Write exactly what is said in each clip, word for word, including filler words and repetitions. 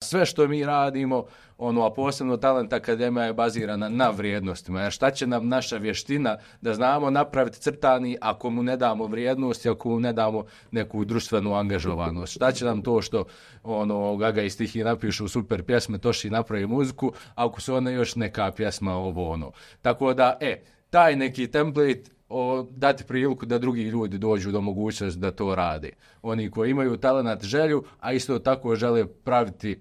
sve što mi radimo, ono, a posebno Talent Akademija je bazirana na vrijednostima. Jer šta će nam naša vještina da znamo napraviti crtani ako mu ne damo vrijednost, ako mu ne damo neku društvenu angažovanost? Šta će nam to što ono, Gaga i Stihi napišu super pjesme, Toši napravi muziku, ako su one još neka pjesma ovo ono. Tako da, e, taj neki template o, dati priliku da drugi ljudi dođu do mogućnosti da to rade. Oni koji imaju talent, želju, a isto tako žele praviti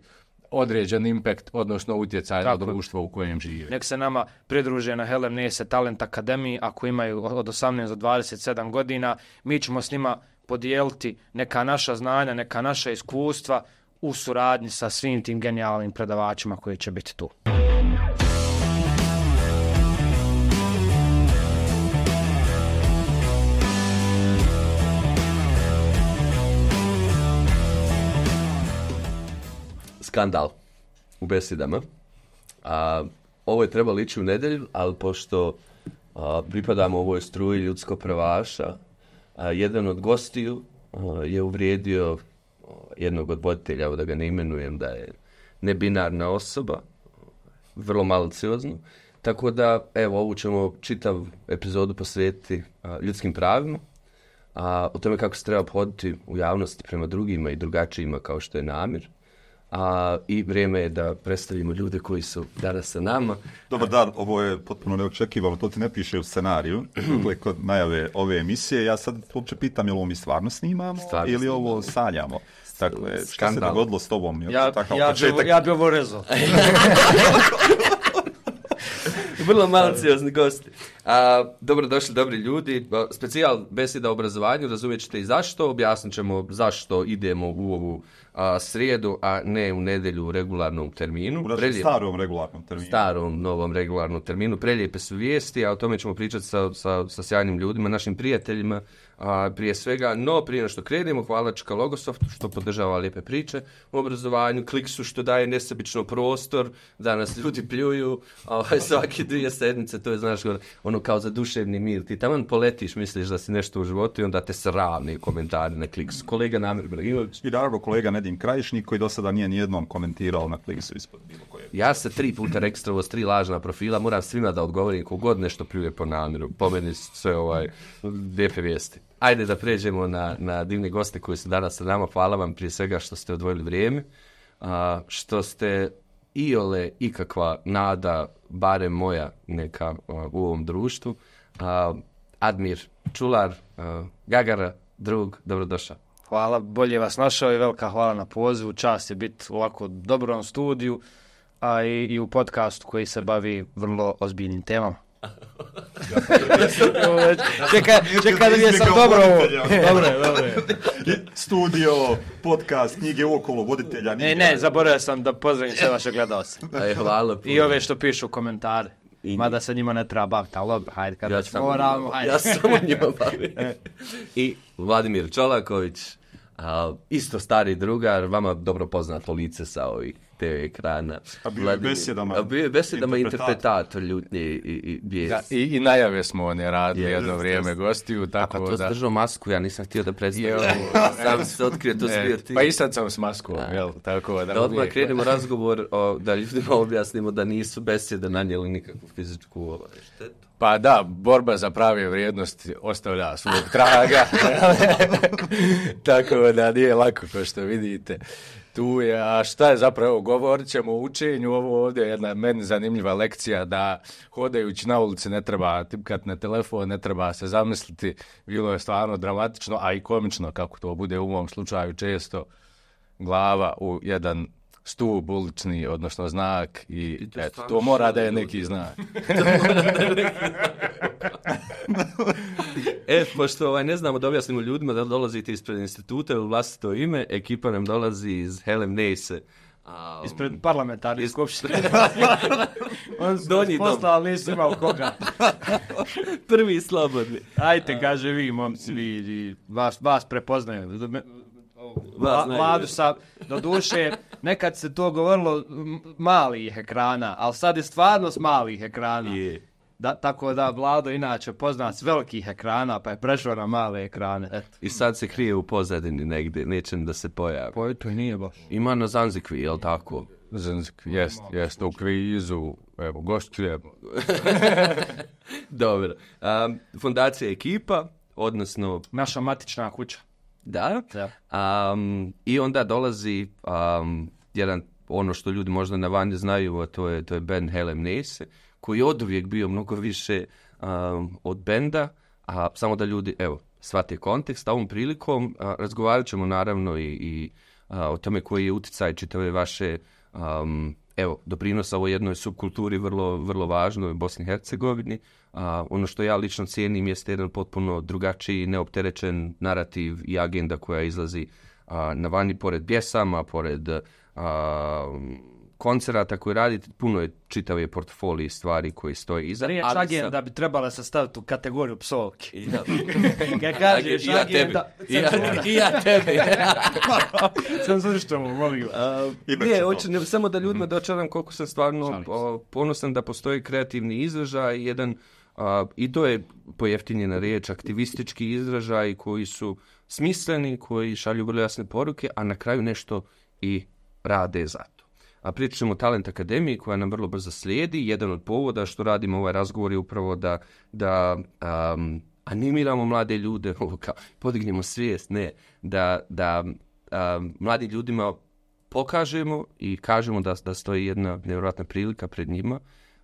određen impact, odnosno utjecaj na društvo u kojem žive. Nek se nama pridruže na Helen Nese Talent Akademiji ako imaju od osamnaest do dvadeset sedam godina. Mi ćemo s njima podijeliti neka naša znanja, neka naša iskustva u suradnji sa svim tim genijalnim predavačima koji će biti tu. Skandal u besedama. A, ovo je trebalo ići u nedjelju, ali pošto a, pripadamo ovoj struji ljudsko pravaša, a, jedan od gostiju a, je uvrijedio a, jednog od voditelja, evo da ga ne imenujem, da je nebinarna osoba, vrlo maliciozno. Tako da, evo, ovu ćemo čitav epizodu posvetiti a, ljudskim pravima, a, o tome kako se treba obhoditi u javnosti prema drugima i drugačijima kao što je Namir. A, i vrijeme je da predstavimo ljude koji su danas sa nama. Dobar dan, ovo je potpuno neočekivano, to ti ne piše u scenariju. Dakle, kod najave ove emisije, ja sad uopće pitam je li ovo mi stvarno snimamo stvarno ili snimamo. Ovo sanjamo. Dakle, šta se dogodilo s tobom? Ja, ja, ja, bi, ja bi ovo rezao. Vrlo maliciozni gosti. A, dobrodošli, dobri ljudi. Specijal beseda o obrazovanju, razumjet ćete i zašto. Objasnit ćemo zašto idemo u ovu a, srijedu, a ne u nedjelju u regularnom terminu. U našem Prelijep... starom regularnom terminu. Starom, novom regularnom terminu. Prelijepe su vijesti, a o tome ćemo pričati sa, sa, sa sjajnim ljudima, našim prijateljima. A, prije svega, no prije no što krenemo, hvala Čka Logosoftu što podržava lijepe priče u obrazovanju, Kliksu što daje nesebično prostor da nas ljudi pljuju, a ovaj, svaki dvije sedmice, to je, znaš, ono kao za duševni mir. Ti taman poletiš, misliš da si nešto u životu i onda te sravni komentari na Kliksu. Kolega Namir Bragimović. I naravno kolega Nedim Krajišnik koji do sada nije nijednom komentirao na Kliksu ispod bilo koje. Ja se tri puta registrovo s tri lažna profila, moram svima da odgovorim kogod nešto pljuje po Namiru. Po meni sve ovaj lijepe vijesti. Ajde da pređemo na, na divne goste koji su danas sa nama. Hvala vam prije svega što ste odvojili vrijeme, a, što ste iole ikakva nada, barem moja neka a, u ovom društvu. A, Admir Čular, a, Gagara, drug, dobrodošao. Hvala, bolje vas našao i velika hvala na pozivu. Čast je biti u ovako dobrom studiju, a i, i u podcastu koji se bavi vrlo ozbiljnim temama. čeka, čeka da mi je sam dobro ovo. Dobre, dobre. Studio, podcast, knjige okolo, voditelja. Ne, ne, zaboravio sam da pozdravim sve vaše gledalce. Aj, hvala. I ove što pišu komentare. I... Mada se njima ne treba baviti, ali dobro, hajde, kad ja već moramo, hajde. Ja sam njima bavim. I Vladimir Čolaković, a, isto stari drugar, vama dobro poznato lice sa ovih te ve ekrana. A bio je besedama, a bio je besedama interpretator ljutnje i, i, i, da, i, i najave smo one radili je, jedno jest, vrijeme jest. Gostiju. Tako a pa to da... držao masku, ja nisam htio da predstavim. Sam se otkrio, to si bio ti. Pa i sad sam s maskom, jel? Tako da, da odmah krenemo razgovor, o, da ljudima objasnimo da nisu besede nanijeli nikakvu fizičku ovaj, štetu. Pa da, borba za prave vrijednosti ostavlja svog traga. Tako da nije lako, kao što vidite. Tu je, a šta je zapravo, govorit ćemo o učenju, ovo ovdje je jedna meni zanimljiva lekcija da hodajući na ulici ne treba tipkati na telefon, ne treba se zamisliti, bilo je stvarno dramatično, a i komično kako to bude u mom slučaju često, glava u jedan stup ulični, odnosno znak i, I to, eto, to mora da je neki znak. E, pošto ovaj, ne znamo da objasnimo ljudima da dolazite ispred instituta ili vlastito ime, ekipa nam dolazi iz Helen Nese. Um, ispred parlamentarne iz... skupštine. On su poslali, nisu imao koga. Prvi slobodni. Ajte, kaže vi, momci, vi, vas, vas prepoznaju. Vladu sa, do duše, nekad se to govorilo malih ekrana, ali sad je stvarno s malih ekrana. Je. Da, tako da Vlado inače poznat s velikih ekrana, pa je prešao na male ekrane. Eto. I sad se krije u pozadini negdje, neće da se pojavi. Pa to i nije baš. Ima na Zanzikvi, jel tako? Zanzikvi, jest, jest, u kvizu, evo, gostujemo. Dobro. Um, fondacija Ekipa, odnosno... Naša matična kuća. Da. da. Um, I onda dolazi um, jedan, ono što ljudi možda na vanje znaju, a to je, to je band Helem Nese, koji je oduvijek bio mnogo više um, od benda, a samo da ljudi, evo, shvate kontekst, a ovom prilikom a, razgovarat ćemo naravno i, i a, o tome koji je utjecaj čitave vaše, um, evo, doprinosa ovoj jednoj subkulturi vrlo, vrlo važnoj u Bosni i Hercegovini. A, ono što ja lično cijenim jeste jedan potpuno drugačiji, neopterećen narativ i agenda koja izlazi a, na vani pored pjesama, pored a, koncerata koji radite, puno je čitave portfolije stvari koji stoje iza. Riječ agenda sam... bi trebala se staviti u kategoriju psovki. Ja. Kad kažeš I ja agenda... I ja, I ja tebi. Sam zvrštamo, molim. Uh, nije, hoću ne, samo da ljudima dočaram koliko sam stvarno o, ponosan da postoji kreativni izražaj, jedan, uh, i to je pojeftinjena riječ, aktivistički izražaj koji su smisleni, koji šalju vrlo jasne poruke, a na kraju nešto i rade za to. A pričat ćemo o Talent Akademiji koja nam vrlo brzo slijedi. Jedan od povoda što radimo ovaj razgovor je upravo da, da um, animiramo mlade ljude, kao, podignemo svijest, ne, da, da um, mladim ljudima pokažemo i kažemo da, da stoji jedna nevjerojatna prilika pred njima.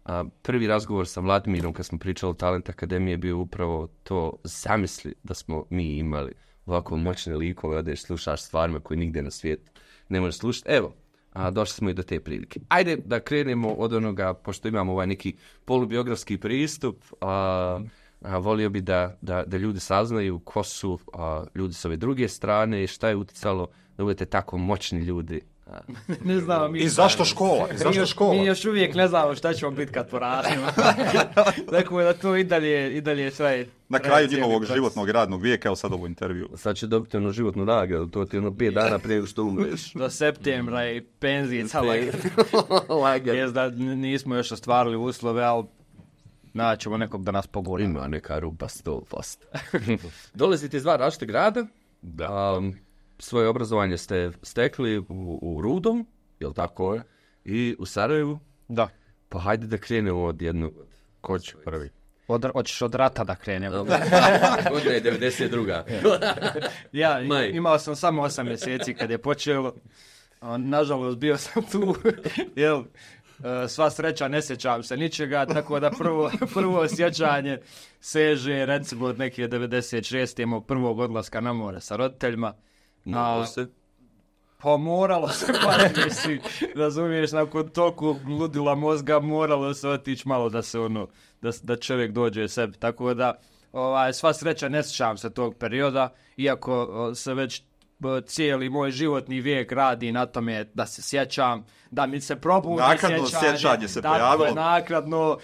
A, prvi razgovor sa Vladimirom kad smo pričali o Talent Akademiji je bio upravo to, zamisli da smo mi imali ovako moćne likove, odeš slušaš stvarima koje nigdje na svijetu ne možeš slušati. Evo, a, došli smo i do te prilike. Ajde da krenemo od onoga, pošto imamo ovaj neki polubiografski pristup, a, a, volio bi da, da, da ljudi saznaju ko su a, ljudi s ove druge strane i šta je utjecalo da budete tako moćni ljudi. Ne znamo mi. I zašto škola? I zašto škola? Mi još uvijek ne znamo šta ćemo biti kad porasimo. Tako da to i dalje, i dalje sve. Na kraju njihovog životnog radnog vijeka, evo sad ovo intervju. Sad će dobiti ono životnu nagradu, to ti ono pet dana prije što umreš. Do septembra i penzijica lagar. Jes da nismo još ostvarili uslove, ali naćemo nekog da nas pogori. Ima neka rupa sto posto. Dolazite iz dva različite grada. Da. Um, svoje obrazovanje ste stekli u, u Rudom, jel tako je? I u Sarajevu? Da. Pa hajde da krenemo od jednu... Ko će prvi? Od, hoćeš od rata da krenemo. Godina je devedeset druga. Ja, imao sam samo osam mjeseci kad je počelo. Nažalost, bio sam tu. Jel, sva sreća, ne sjećam se ničega, tako da prvo, prvo sjećanje seže, recimo, od neke devedeset šeste imao prvog odlaska na more sa roditeljima. Moralo se? Pa moralo se, pa si, razumiješ, nakon toku ludila mozga moralo se otići malo da se ono, da, da čovjek dođe sebi, tako da ovaj, sva sreća ne sjećam se tog perioda, iako o, se već o, cijeli moj životni vijek radi na tome da se sjećam, da mi se probudi nakradno sjećanje. Nakradno sjećanje se pojavilo. Nakradno,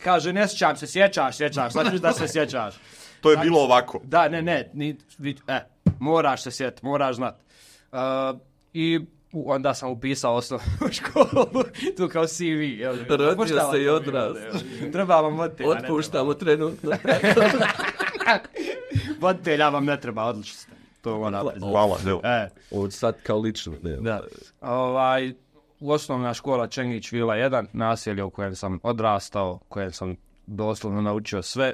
kaže ne sjećam se, sjećaš, sjećaš, znači da se sjećaš. To je bilo ovako. Da, ne, ne, ni, ni, e, moraš se sjetiti, moraš znat. Uh, I onda sam upisao osnovnu školu, tu kao C V. Rodio se i odraz. Treba vam voditelja. Otpuštamo trenutno. Voditelja vam ne treba, odlično ste. To ona. Hvala, evo. E. Od sad kao lično. Ne. Da. Ovaj, osnovna škola Čengić Vila jedan, naselje u kojem sam odrastao, kojem sam doslovno naučio sve.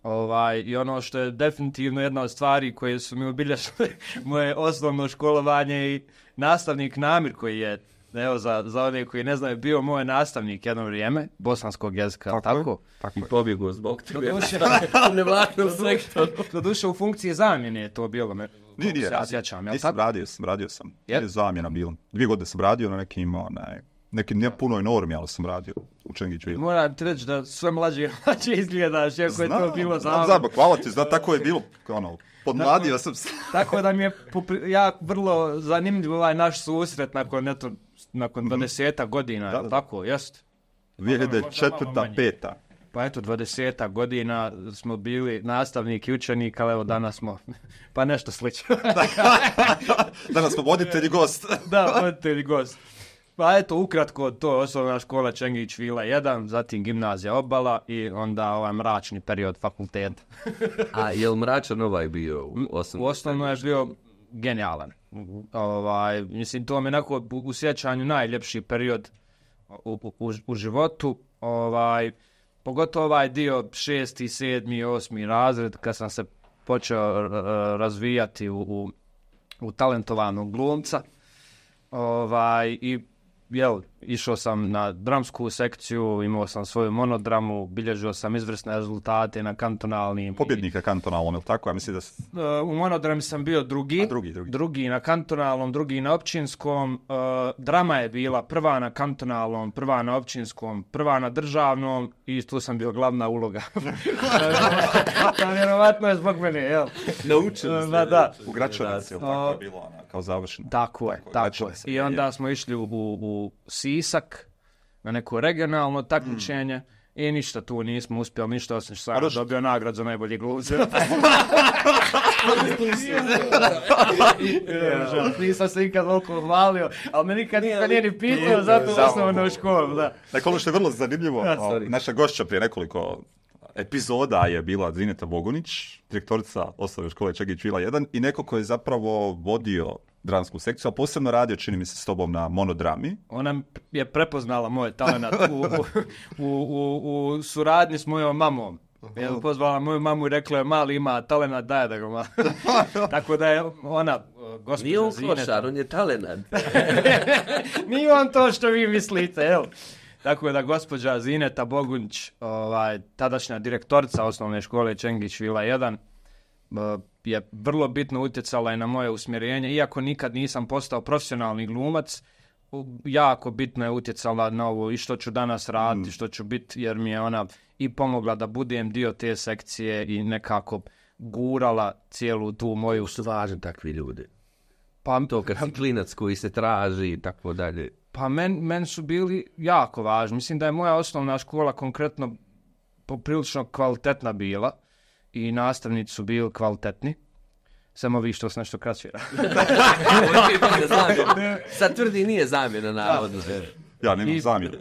Ovaj, i ono što je definitivno jedna od stvari koje su mi obilježile moje osnovno školovanje i nastavnik Namir koji je, evo za, za one koji ne znaju, bio moj nastavnik jedno vrijeme, bosanskog jezika, tako? Tako, tako i pobjegao zbog tebe. U nevlatnom sektoru. Doduše u funkciji zamjene je to bilo. Me, nije, nije, ja sjećam, ja nisam, radio sam, radio sam. Je zamjena bilo. Dvije godine sam radio na nekim, onaj, nekim ne punoj normi, ali sam radio u Čengiću. Moram ti reći da sve mlađe i mlađe izgledaš, ako je to bilo zabavno. Znam, hvala ti, znam, tako je bilo, ono, podmladio sam se. Tako da mi je ja vrlo zanimljiv ovaj naš susret nakon, eto, nakon dvadesetak godina, da, da. Tako, jest? dvije hiljade četvrta, peta Pa eto, dvadesetak godina smo bili nastavnik i učenik, ali evo danas smo, pa nešto slično. Danas smo voditelj i gost. Da, voditelj i gost. Pa eto, ukratko, to je osnovna škola Čengić Vila jedan, zatim gimnazija Obala i onda ovaj mračni period fakulteta. A je li mračan ovaj bio u osnovno? U osnovno je bio genijalan. Ovaj, mislim, to mi je onako u sjećanju najljepši period u, u, u životu. Ovaj, pogotovo ovaj dio šesti, sedmi, osmi razred, kad sam se počeo razvijati u, u, u talentovanog glumca. Ovaj, i jel, išao sam na dramsku sekciju, imao sam svoju monodramu, bilježio sam izvrsne rezultate na kantonalnim. Pobjednika kantonalnom, je li tako? Ja mislim da... S... U monodrami sam bio drugi, drugi, drugi, drugi na kantonalnom, drugi na općinskom. Uh, drama je bila prva na kantonalnom, prva na općinskom, prva na državnom i tu sam bio glavna uloga. Vjerovatno je zbog mene, jel? Naučili ste. Da, da. U Gračanici, jel tako je bilo ona, kao završeno? Tako je, tako je. I onda smo išli u, u, u Sisak na neko regionalno takmičenje mm. i ništa tu nismo uspjeli, ništa osim što sam dobio nagradu za najbolji glumce. Nisam se nikad toliko hvalio, ali me nikad niko nije ni pitao za tu osnovnu školu. Da. Dakle, ono što je vrlo zanimljivo, naša gošća prije nekoliko epizoda je bila Zineta Bogunić, direktorica osnovne škole Čengić Vila jedan i neko ko je zapravo vodio dramsku sekciju, a posebno radio, čini mi se, s tobom na monodrami. Ona je prepoznala moj talent u, u, u, u suradnji s mojom mamom. Je pozvala moju mamu i rekla je, mali ima talent, daj da ga malo. Tako da je ona, gospođa Nije on Zineta... košar, on je talent. Nije on to što vi mislite, jel? Tako da gospođa Zineta Bogunić, ovaj, tadašnja direktorica osnovne škole Čengić Vila jedan, je vrlo bitno utjecala i na moje usmjerenje. Iako nikad nisam postao profesionalni glumac, jako bitno je utjecala na ovo i što ću danas raditi, mm. što ću biti, jer mi je ona i pomogla da budem dio te sekcije i nekako gurala cijelu tu moju... Su važni takvi ljudi. Pa, to kad si klinac koji se traži i tako dalje. Pa men, men su bili jako važni. Mislim da je moja osnovna škola konkretno poprilično kvalitetna bila i nastavnici su bili kvalitetni. Samo vi što se nešto kraćira. Sad tvrdi nije zamjena navodno. Ja nemam zamjena.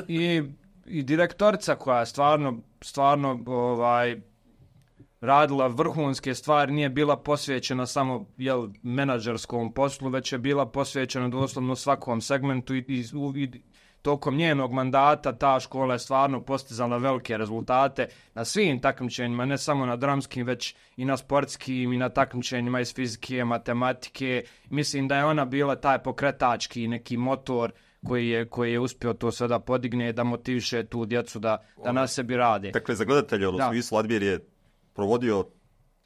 I, i direktorica koja je stvarno, stvarno ovaj, radila vrhunske stvari, nije bila posvećena samo jel, menadžerskom poslu, već je bila posvećena doslovno svakom segmentu i, i, i tokom njenog mandata ta škola je stvarno postizala velike rezultate na svim takmičenjima, ne samo na dramskim, već i na sportskim i na takmičenjima iz fizike, matematike. Mislim da je ona bila taj pokretački neki motor koji je, koji je uspio to sve da podigne, da motiviše tu djecu da, da na sebi rade. Dakle, za gledatelje u smislu Admir je provodio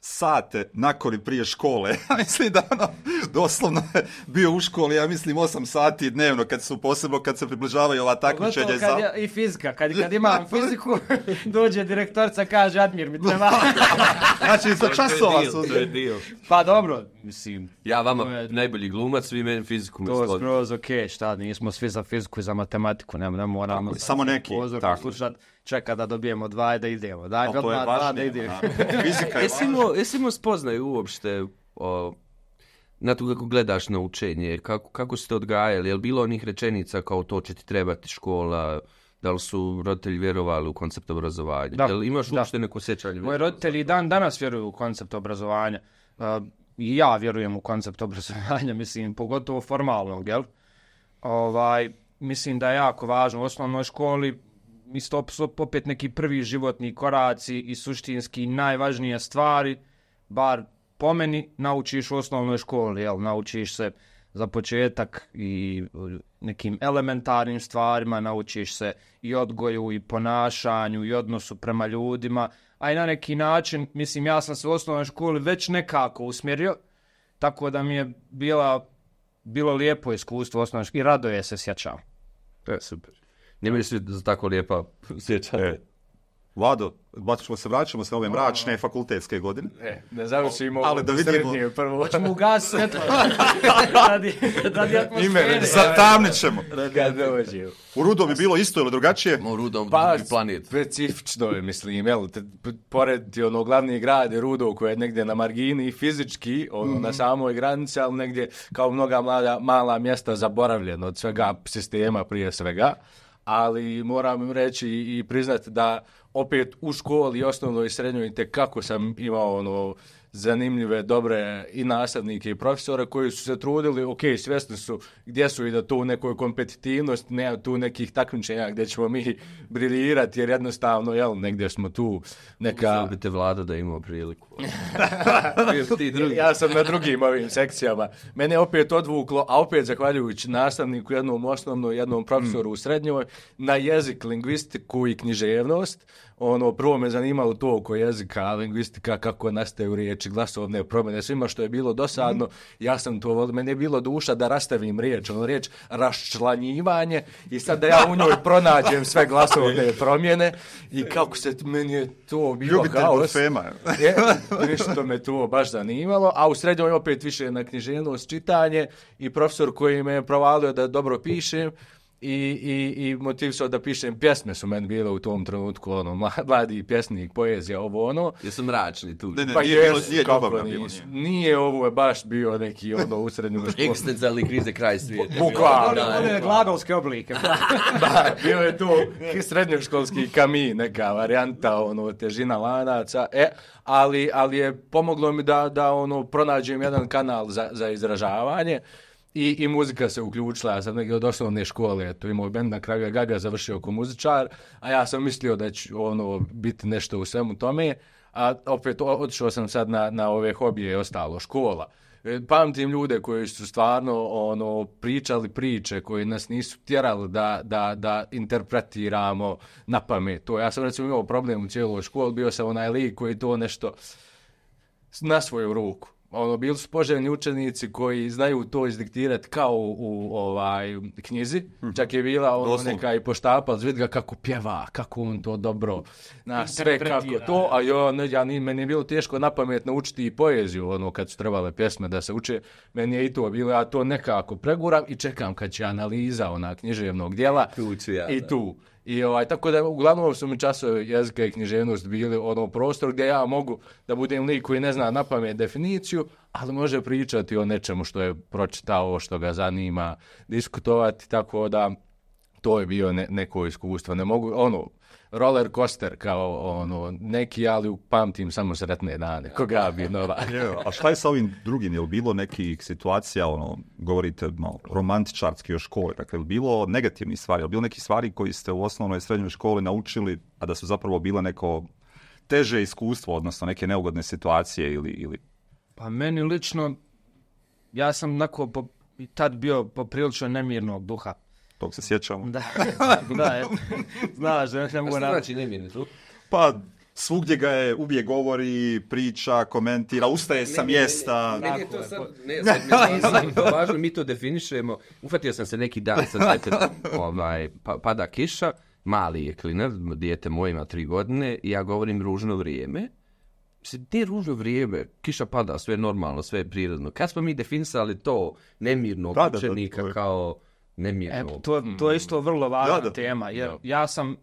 sate nakon i prije škole. Ja mislim da ono, doslovno je bio u školi, ja mislim, osam sati dnevno, kad su posebno, kad se približavaju ova takmičenja. Za... Ja, i fizika, kad, kad imam fiziku, dođe direktorica, kaže, Admir, mi treba. Znači, za časova su. Pa dobro, mislim. Ja vama je... najbolji glumac, vi meni fiziku. To je skroz okej, okay, šta, nismo svi za fiziku i za matematiku, ne, ne moramo. Tako, samo neki. Tako. Slušat, čeka da dobijemo dva i da idemo. Daj, to je dva, da idemo. Fizika je važna. Jesi imao spoznaju uopšte o, na to kako gledaš na učenje, kako, kako ste odgajali, je li bilo onih rečenica kao to će ti trebati škola, da li su roditelji vjerovali u koncept obrazovanja? Da, Jel imaš uopšte neko sjećanje? Moji roditelji dan danas vjeruju u koncept obrazovanja. Uh, I ja vjerujem u koncept obrazovanja, mislim, pogotovo formalnog, jel? Ovaj, mislim da je jako važno u osnovnoj školi isto opet neki prvi životni koraci i suštinski najvažnije stvari, bar po meni, naučiš u osnovnoj školi, jel? Naučiš se za početak i nekim elementarnim stvarima, naučiš se i odgoju i ponašanju i odnosu prema ljudima, a i na neki način, mislim, ja sam se u osnovnoj školi već nekako usmjerio, tako da mi je bila, bilo lijepo iskustvo u osnovnoj školi i radoje se sjećam. To je super. Nije mi se za tako lijepa sjećanje. Vlado, ćemo se vraćamo se na ove mračne fakultetske godine. E, ne završimo ali da vidimo prvo. Hoćemo ugasiti svjetlo. radi, radi atmosfere. Zatamnit ćemo. U Rudom bi bilo isto ili drugačije? U Rudom pa, planet. Specifično je, mislim, jel, te, pored ono, glavni grad je Rudo koji je negdje na margini fizički, ono, mm-hmm. na samoj granici, ali negdje kao mnoga mala, mala mjesta zaboravljeno od svega sistema prije svega. Ali moram reći i priznati da opet u školi, osnovnoj i srednjoj, kako sam imao ono zanimljive, dobre i nastavnike i profesore koji su se trudili, ok, svjesni su gdje su i da tu u nekoj kompetitivnosti, nema tu nekih takmičenja gdje ćemo mi briljirati, jer jednostavno, jel, negdje smo tu neka... Zabite Vlada da imao priliku. Ja sam na drugim ovim sekcijama. Mene opet odvuklo, a opet zahvaljujući nastavniku, jednom osnovnom, jednom profesoru u srednjoj, na jezik, lingvistiku i književnost. Ono, prvo me zanimalo to oko jezika, lingvistika, kako nastaju riječi, glasovne promjene, svima što je bilo dosadno, ja sam to volio, meni je bilo duša da rastavim riječ, ono riječ raščlanjivanje i sad da ja u njoj pronađem sve glasovne promjene i kako se, meni je to bilo haos. Je, nešto me to baš zanimalo, a u srednjoj opet više na književnost, čitanje i profesor koji me je provalio da dobro pišem, I, i, i motivisao da pišem pjesme su meni bile u tom trenutku, ono, mladi pjesnik, poezija, ovo ono. Jesu mračni tu. Ne, ne, pa nije, jes, nije, kako nije. Nije ovo je baš bio neki ono u srednjoj školi. Ekstencijalni krize kraj svijeta. Bukvalno. Ono je glagolske oblike. Da, bio je to srednjoškolski kami, neka varijanta, ono, težina lanaca, e, ali, ali je pomoglo mi da, da ono, pronađem jedan kanal za, za izražavanje. I, I muzika se uključila, ja sam negdje od osnovne škole, to imao bend na kraju Gaga, završio kao muzičar, a ja sam mislio da će ono biti nešto u svemu tome, a opet otišao sam sad na, na ove hobije i ostalo, škola. Pamtim ljude koji su stvarno ono pričali priče, koji nas nisu tjerali da, da, da interpretiramo na pamet. To, ja sam recimo imao problem u cijeloj školi, bio sam onaj lik koji to nešto na svoju ruku. Ono, bili su poželjni učenici koji znaju to izdiktirati kao u, u ovaj knjizi. Mm-hmm. Čak je bila ono neka i poštapal, vidi ga kako pjeva, kako on to dobro, na sve kako to, a jo, ne, ja, ni, meni je bilo teško napamet naučiti i poeziju, ono, kad su trebale pjesme da se uče, meni je i to bilo, ja to nekako preguram i čekam kad će analiza ona književnog dijela ja, i da. tu. I ovaj, tako da uglavnom su mi časovi jezika i književnost bili ono prostor gdje ja mogu da budem lik koji ne zna napamet definiciju, ali može pričati o nečemu što je pročitao, što ga zanima, diskutovati, tako da to je bio ne, neko iskustvo. Ne mogu, ono, roller coaster kao ono, neki, ali pamtim samo sretne dane. Koga bi nova. A šta je sa ovim drugim? Je li bilo nekih situacija, ono, govorite malo romantičarski o školi, dakle, je li bilo negativnih stvari, je li bilo nekih stvari koji ste u osnovnoj i srednjoj školi naučili, a da su zapravo bile neko teže iskustvo, odnosno neke neugodne situacije ili... ili... Pa meni lično, ja sam onako po, tad bio poprilično nemirnog duha. Tog se sjećamo. Da, da, eto. Znaš, da ne mogu... A što znači nemirni duh? Pa, svugdje ga je, uvijek govori, priča, komentira, ustaje sa mjesta. Meni je to sad, ne, sad mi je važno, mi to definišemo. Ufatio sam se neki dan, sad ovaj, pa, pada kiša, mali je klinac, dijete moje ima tri godine, i ja govorim ružno vrijeme. Mislim, nije ružno vrijeme, kiša pada, sve je normalno, sve je prirodno. Kad smo mi definisali to nemirnog da, učenika da, da, kao nemirnog? E, to, to je isto vrlo važna da, da. tema, jer da. ja sam,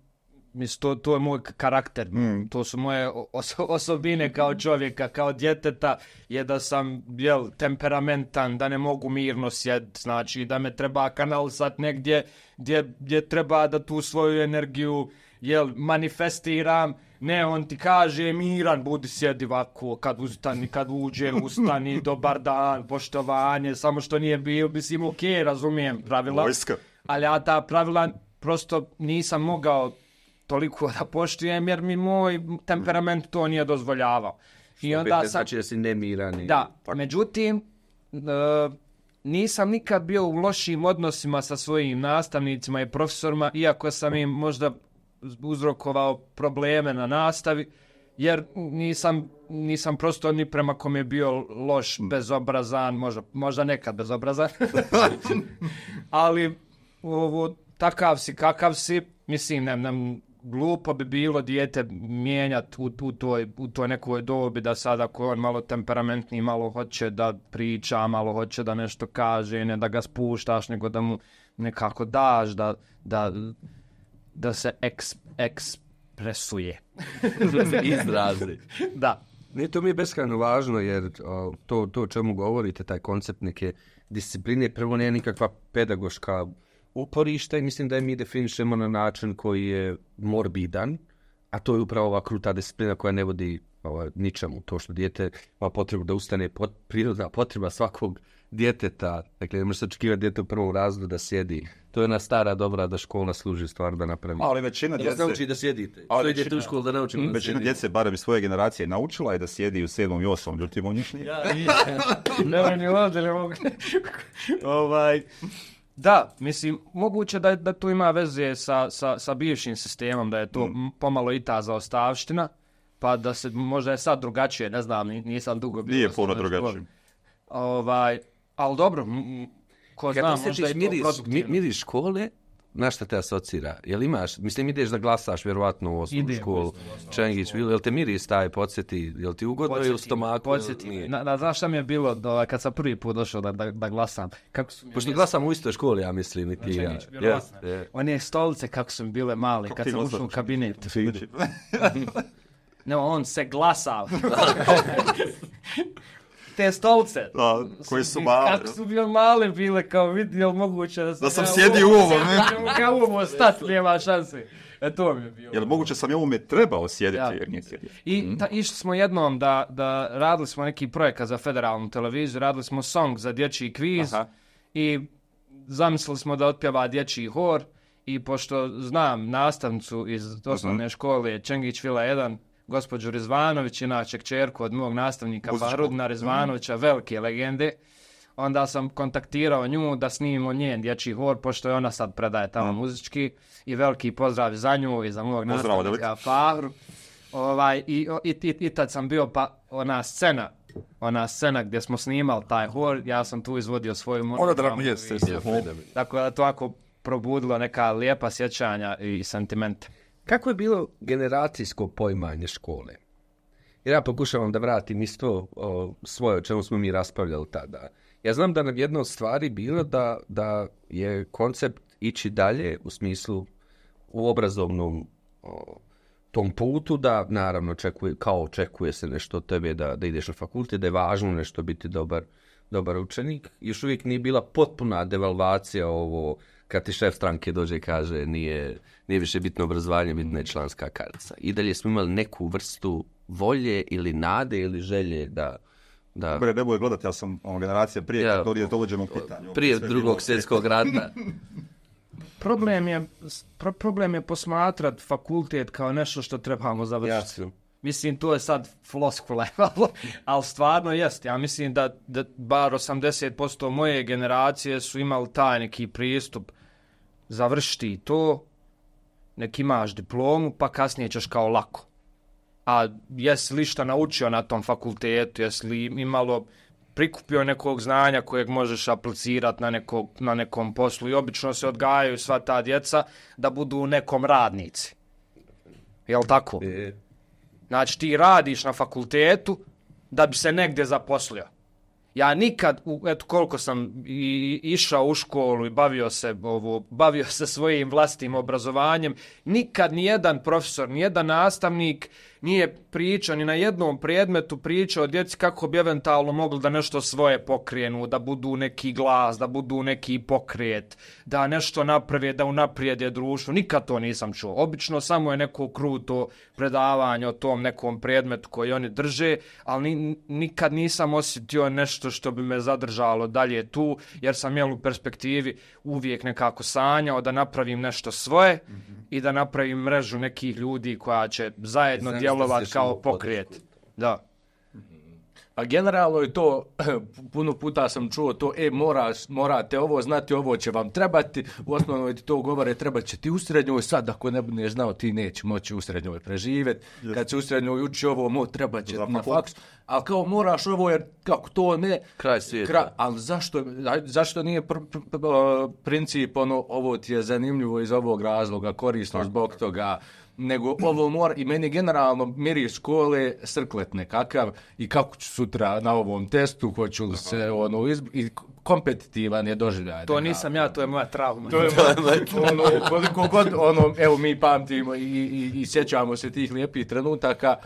mislim, to, to je moj karakter, mm. to su moje oso- osobine kao čovjeka, kao djeteta, je da sam, jel, temperamentan, da ne mogu mirno sjediti, znači da me treba kanalisat negdje gdje, gdje treba da tu svoju energiju, jel, manifestiram. Ne, on ti kaže, miran, budi sjedi ovako, kad ustani, kad uđe, ustani, dobar dan, poštovanje, samo što nije bio, mislim, ok, razumijem pravila, Vojska. Ali ja ta pravila prosto nisam mogao toliko da poštujem, jer mi moj temperament to nije dozvoljavao. I onda ne znači da si nemiran. Da, tako. Međutim, uh, nisam nikad bio u lošim odnosima sa svojim nastavnicima i profesorima, iako sam im možda uzrokovao probleme na nastavi, jer nisam, nisam prosto ni prema kom je bio loš, bezobrazan, možda, možda nekad bezobrazan, ali ovo, takav si, kakav si, mislim, ne, ne, glupo bi bilo dijete mijenjati u, u, toj, u toj nekoj dobi da sad ako on malo temperamentni, malo hoće da priča, malo hoće da nešto kaže, ne da ga spuštaš, nego da mu nekako daš, da, da, da se eks, ekspresuje. Izrazi. Da. Nije to mi je beskrajno važno, jer o, to, to o čemu govorite, taj koncept neke discipline, prvo nije nikakva pedagoška uporišta i mislim da je mi definišemo na način koji je morbidan, a to je upravo ova kruta disciplina koja ne vodi ova, ničemu. To što dijete ima potrebu da ustane, pot, prirodna potreba svakog djeteta, dakle ne može se očekivati dijete u prvom razredu da sjedi. To je ona stara dobra da škola služi stvar da napravi. Ali većina da djece... Da nauči da sjedite. Ali većina... idete u školu da naučimo da Većina djece, barem iz svoje generacije, naučila je da sjedi u sedmom i osmom, ljutim u njih nije. Ja, ne, ne ovdje, ne mogu. ovaj... Da, mislim, moguće da, da tu ima veze sa, sa, sa bivšim sistemom, da je to mm. pomalo i ta zaostavština, pa da se možda je sad drugačije, ne znam, nisam dugo bio. Nije puno drugačije. Ovaj, ali dobro, m, ko zna, možda je miris, to produktivno. Miris škole, na šta te asocira? Jel imaš, mislim, ideš da glasaš vjerovatno u osnovnu školu, Čengić, jel te miris taj podsjeti, jel ti ugodno je u stomaku? Podsjeti, na, na, znaš šta mi je bilo do, kad sam prvi put došao da, da, da glasam? Kako su Pošto glasam u istoj školi, ja mislim, i ti ja. Yes, yeah. One stolice kako su mi bile male, kako kad sam ušao u kabinet. Ne, on se glasao. Te stolce. Da, koje su male. Kako su bile male bile, kao vidi, jel moguće da, da sam sjedi u ovom, ne? Kao u ovom stati, nema šanse. E, to mi je bilo. Jel moguće sam i ovome trebao sjediti, ja. Jer nije sjedio. I ta, išli smo jednom da, da radili smo neki projekat za federalnu televiziju, radili smo song za dječji kviz. Aha. I zamislili smo da otpjeva dječji hor i pošto znam nastavnicu iz osnovne uh-huh. škole Čengić Vila jedan, gospođu Rizvanović, inače kćerku od mog nastavnika Bahrudina Rizvanovića, mm. velike legende, onda sam kontaktirao nju da snimimo njen dječji hor, pošto je ona sad predaje tamo mm. muzički, i veliki pozdrav za nju i za mog pozdrav, nastavnika Fahru. Ovaj, i, i, i, I tad sam bio, pa ona scena, ona scena gdje smo snimali taj hor, ja sam tu izvodio svoju monogramu. Ona drago jeste. Tako da to ako probudilo neka lijepa sjećanja i sentimente. Kako je bilo generacijsko poimanje škole? Jer ja pokušavam da vratim isto o, svoje, o čemu smo mi raspravljali tada. Ja znam da nam jedna od stvari bilo da, da je koncept ići dalje u smislu u obrazovnom o, tom putu, da naravno očekuje, kao očekuje se nešto od tebe da, da ideš na fakultet, da je važno nešto biti dobar, dobar učenik. Još uvijek nije bila potpuna devalvacija ovo kad ti šef stranke dođe i kaže nije, nije više bitno obrazovanje, bitna je članska kartica. I dalje smo imali neku vrstu volje ili nade ili želje da... da... Dobre, ne bude gledati, ja sam ono, generacija prije ja, kad to dođemo pitanju. Prije drugog svjetskog rata. Problem je, pro, problem je posmatrat fakultet kao nešto što trebamo završiti. Jasno. Mislim, to je sad floskule, ali stvarno jest. Ja mislim da, da bar osamdeset posto moje generacije su imali taj neki pristup. Završiti to, nek imaš diplomu, pa kasnije ćeš kao lako. A jesi li šta naučio na tom fakultetu, jesi li imalo prikupio nekog znanja kojeg možeš aplicirati na, nekog, na nekom poslu. I obično se odgajaju sva ta djeca da budu nekom radnici. Jel' tako? E. Znači ti radiš na fakultetu da bi se negdje zaposlio. Ja nikad, eto koliko sam i, išao u školu i bavio se, ovo, bavio se svojim vlastitim obrazovanjem, nikad nijedan profesor, nijedan nastavnik nije pričao ni na jednom predmetu pričao o djeci kako bi eventualno mogli da nešto svoje pokrenu, da budu neki glas, da budu neki pokret, da nešto naprave, da unaprijede društvo. Nikad to nisam čuo. Obično samo je neko kruto predavanje o tom nekom predmetu koji oni drže, ali ni, nikad nisam osjetio nešto što bi me zadržalo dalje tu, jer sam jel u perspektivi uvijek nekako sanjao da napravim nešto svoje mm-hmm. i da napravim mrežu nekih ljudi koja će zajedno djelovati kao pokret. Da. A generalno je to, puno puta sam čuo to, e, moraš, morate ovo znati, ovo će vam trebati, u osnovnoj ti to govore, treba će ti u srednjoj, sad ako ne budeš znao, ti neće moći u srednjoj preživjeti, yes. Kad se u srednjoj uči ovo, mo, treba će na faksu, ali kao moraš ovo, jer kako to ne... Kraj svijeta. Kraj, ali zašto, zašto nije pr, pr, pr, princip, ono, ovo ti je zanimljivo iz ovog razloga, korisno zbog toga, nego ovo mora, i meni generalno miris škole srklet nekakav i kako ću sutra na ovom testu, hoću li se ono izb... i kompetitivan je doživljaj. To nisam ja, to je moja trauma. To je moja, ono, koliko god, ono, evo mi pamtimo i, i, i sjećamo se tih lijepih trenutaka,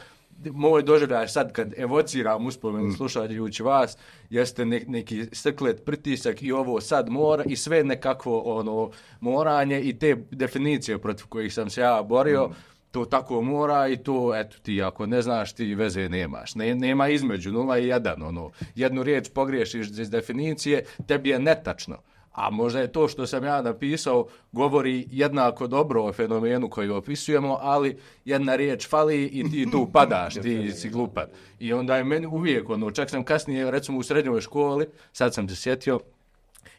moj doživljaj sad kad evociram uspomenu slušajući vas, jeste ne, neki srklet pritisak i ovo sad mora i sve nekakvo ono moranje i te definicije protiv kojih sam se ja borio, mm. to tako mora i to, eto ti ako ne znaš ti veze nemaš. Ne, nema između nula i jedan, ono, jednu riječ pogriješiš iz definicije, tebi je netačno. A možda je to što sam ja napisao govori jednako dobro o fenomenu koji opisujemo, ali jedna riječ fali i ti tu padaš, ti si glupan. I onda je meni uvijek, ono, čak sam kasnije, recimo u srednjoj školi, sad sam se sjetio,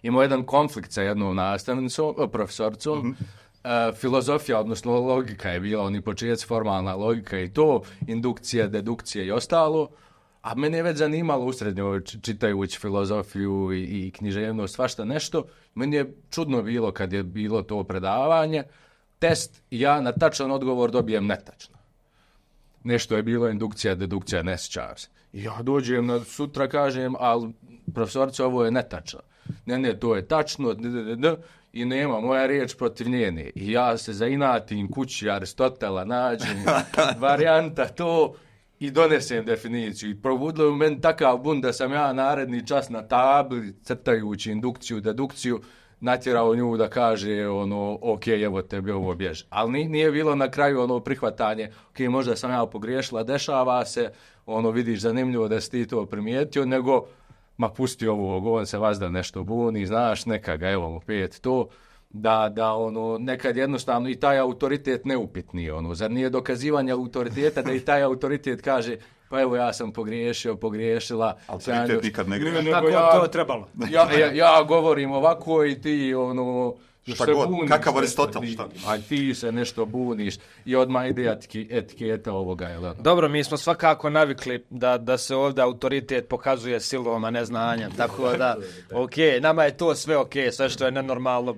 imao jedan konflikt sa jednom nastavnicom, profesorcom, mm-hmm. uh, filozofija, odnosno logika je bila, oni početci formalna logika i to, indukcija, dedukcija i ostalo. A mene je već zanimalo u srednjoj čitajući filozofiju i, i književnost, svašta nešto. Meni je čudno bilo kad je bilo to predavanje. Test i ja na tačan odgovor dobijem netačno. Nešto je bilo indukcija, dedukcija, ne sjećam se. I ja dođem na sutra, kažem, ali profesorica, ovo je netačno. Ne, ne, to je tačno, d, d, d, i nema moja riječ protiv njene. I ja se zainatim kući Aristotela, nađem varijanta to... I donesem definiciju. I probudilo u meni takav bun da sam ja naredni čas na tabli, crtajući indukciju, dedukciju, natjerao nju da kaže ono, ok, evo tebi ovo bježi. Ali nije bilo na kraju ono prihvatanje, ok, možda sam ja pogriješila, dešava se, ono vidiš zanimljivo da si ti to primijetio, nego, ma pusti ovo, on se vazda nešto buni, znaš, neka ga, evo opet to. Da, da, ono, nekad jednostavno i taj autoritet neupitni, ono, zar nije dokazivanje autoriteta da i taj autoritet kaže, pa evo ja sam pogriješio, pogriješila. Autoritet nikad ne greši. Tako ja, to je trebalo. Ja, ja, ja govorim ovako i ti, ono, šta god, buniš, kakav Aristotel, šta? A ti se nešto buniš i odmah ide etiki, etiketa ovoga, jel? Dobro, mi smo svakako navikli da, da se ovdje autoritet pokazuje silom, a ne znanjem, tako da, ok, nama je to sve ok, sve što je nenormalno,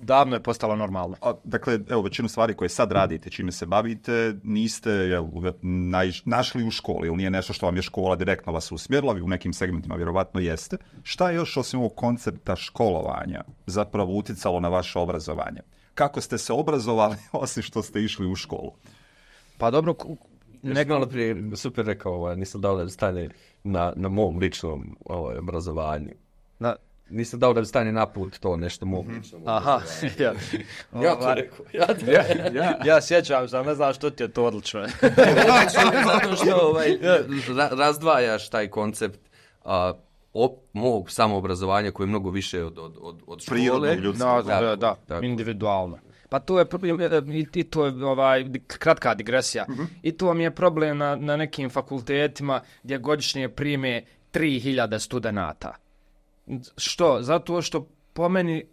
davno je postalo normalno. A, dakle, evo, većinu stvari koje sad radite, čime se bavite, niste jel, naj, našli u školi, ili nije nešto što vam je škola direktno vas usmjerila, vi u nekim segmentima vjerovatno jeste. Šta je još osim ovog koncepta školovanja zapravo utjecalo na vaše obrazovanje? Kako ste se obrazovali osim što ste išli u školu? Pa dobro, nek malo prije super rekao, ovaj, nisam dao da stane na, na mom ličnom ovaj, obrazovanju. Na... Nisam dao da bi stane na put to nešto mogu. Aha, ja. Ja to rekao. Ja, to, ja, ja. ja sjećam se, ne znam što ti je to odlično. Zato što ovaj, ra, razdvajaš taj koncept a, op, mog samoobrazovanja koje je mnogo više od, od, od, od škole. Prirodno, ljudsko. No, da, da, da, individualno. Pa to je i to je ovaj kratka digresija. Uh-huh. I to mi je problem na, na nekim fakultetima gdje godišnje prime tri hiljade studenata. Što? Zato što po meni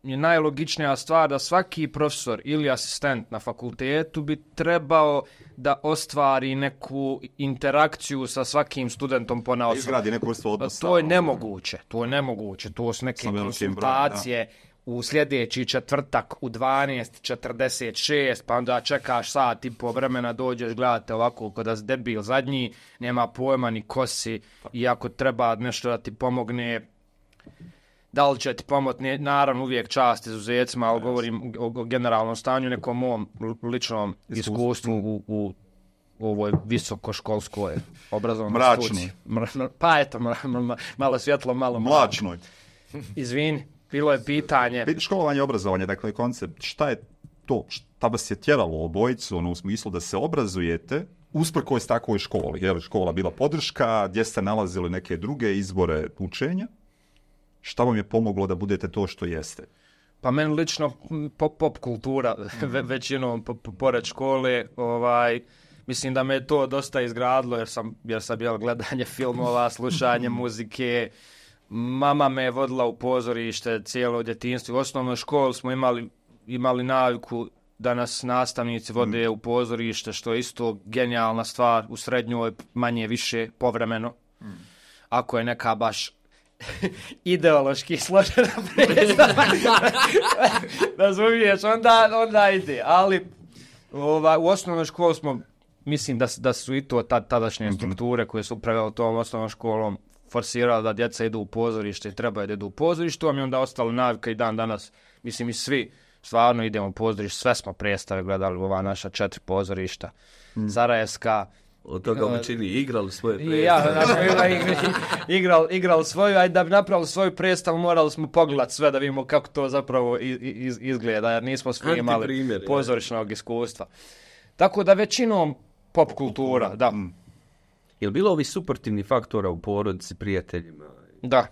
je najlogičnija stvar da svaki profesor ili asistent na fakultetu bi trebao da ostvari neku interakciju sa svakim studentom ponaosob. Izgradi neku vrstu odnosa. To je nemoguće, to je nemoguće, to su neke konsultacije broj, u sljedeći četvrtak u dvanaest četrdeset šest, pa onda čekaš sat i po vremena, dođeš, gledate ovako kada si debil zadnji, nema pojma ni kosi, i ako treba nešto da ti pomogne, da li će ti pomoći, naravno uvijek čast izuzecima, ali govorim o, o generalnom stanju, nekom mom ličnom iskustvu u, u, u ovoj visokoškolskoj obrazovnoj studiji. Mračno. Pa eto, mra, mra, malo svjetlo, malo mlačnoj. Izvini, bilo je pitanje. Školovanje i obrazovanje, dakle koncept, šta je to, šta vas je tjeralo obojicu, ono u smislu da se obrazujete, usprkos takvoj školi, je li škola bila podrška, gdje ste nalazili neke druge izbore učenja? Šta vam je pomoglo da budete to što jeste? Pa meni lično pop, pop kultura, ve, većinom po, po, pored škole, ovaj, mislim da me to dosta izgradilo jer sam, jer sam jel, gledanje filmova, slušanje muzike. Mama me je vodila u pozorište cijelo djetinjstvo. U osnovnoj školi smo imali, imali naviku da nas nastavnici vode u pozorište, što je isto genijalna stvar. U srednjoj manje više povremeno. Ako je neka baš ideološki složena predstava, razumiješ, onda, onda ide, ali Ova, u osnovnoj školi smo, mislim da, da su i to tad, tadašnje strukture koje su upravljale tom osnovnom školom forsirali da djeca idu u pozorište i trebaju da idu u pozorište, a mi onda ostalo navika i dan danas, mislim i svi stvarno idemo u pozorište, sve smo predstave gledali u ova naša četiri pozorišta, mm. Sarajevska. Od toga u čini igrali svoje predstave. Ja, znači, igrali igral svoju, a da bi napravili svoju predstavu morali smo pogledati sve da vidimo kako to zapravo iz, izgleda, jer nismo svi imali pozorišnog iskustva. Tako da većinom pop kultura, da. Mm. Je li bilo ovi suportivni faktora u porodici, prijateljima? Da.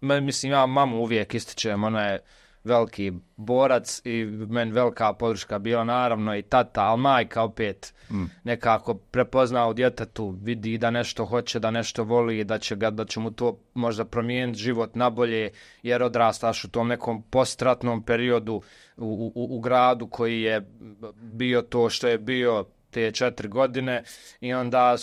Mislim, ja mamu uvijek ističem, ona je veliki borac i meni velika podrška bila naravno i tata, ali majka opet mm. nekako prepozna u djetetu, vidi da nešto hoće, da nešto voli, da će, ga, da će mu to možda promijeniti život nabolje, jer odrastaš u tom nekom postratnom periodu u, u, u gradu koji je bio to što je bio te četiri godine i onda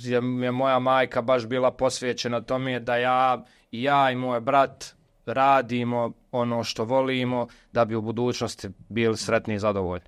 je, je moja majka baš bila posvećena tome da ja i ja i moj brat radimo ono što volimo da bi u budućnosti bili sretni i zadovoljni.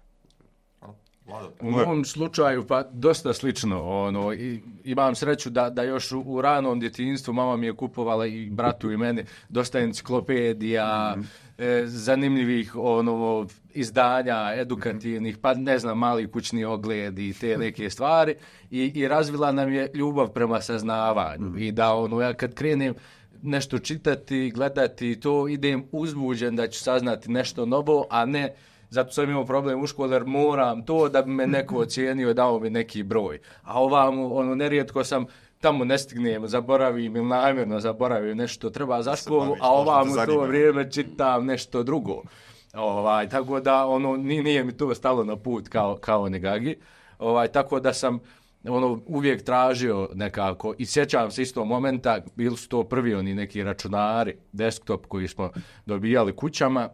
U mom slučaju pa dosta slično. Ono, i, imam sreću da, da još u, u ranom djetinjstvu mama mi je kupovala i bratu i meni dosta enciklopedija, mm. e, zanimljivih ono, izdanja, edukativnih, pa ne znam, mali kućni ogled i te neke stvari i, i razvila nam je ljubav prema saznavanju mm. i da ono, ja kad krenem nešto čitati, gledati, to idem uzbuđen da ću saznati nešto novo, a ne zato sam imao problem u školi jer moram to da bi me neko ocijenio i dao mi neki broj. A ovamo, ono, nerijetko sam tamo ne stignem, zaboravim ili namjerno zaboravim nešto treba za školu, a ovamo to vrijeme čitam nešto drugo. Ovaj, tako da ono, nije mi to stalo na put kao, kao negagi. Ovaj, tako da sam ono uvijek tražio nekako i sjećam se isto momenta, bili su to prvi oni neki računari, desktop koji smo dobijali kućama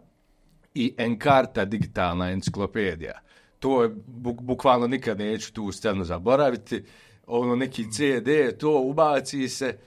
i Encarta digitalna enciklopedija. To je buk, bukvalno nikad neću tu scenu zaboraviti. Ono neki C D, to ubaci se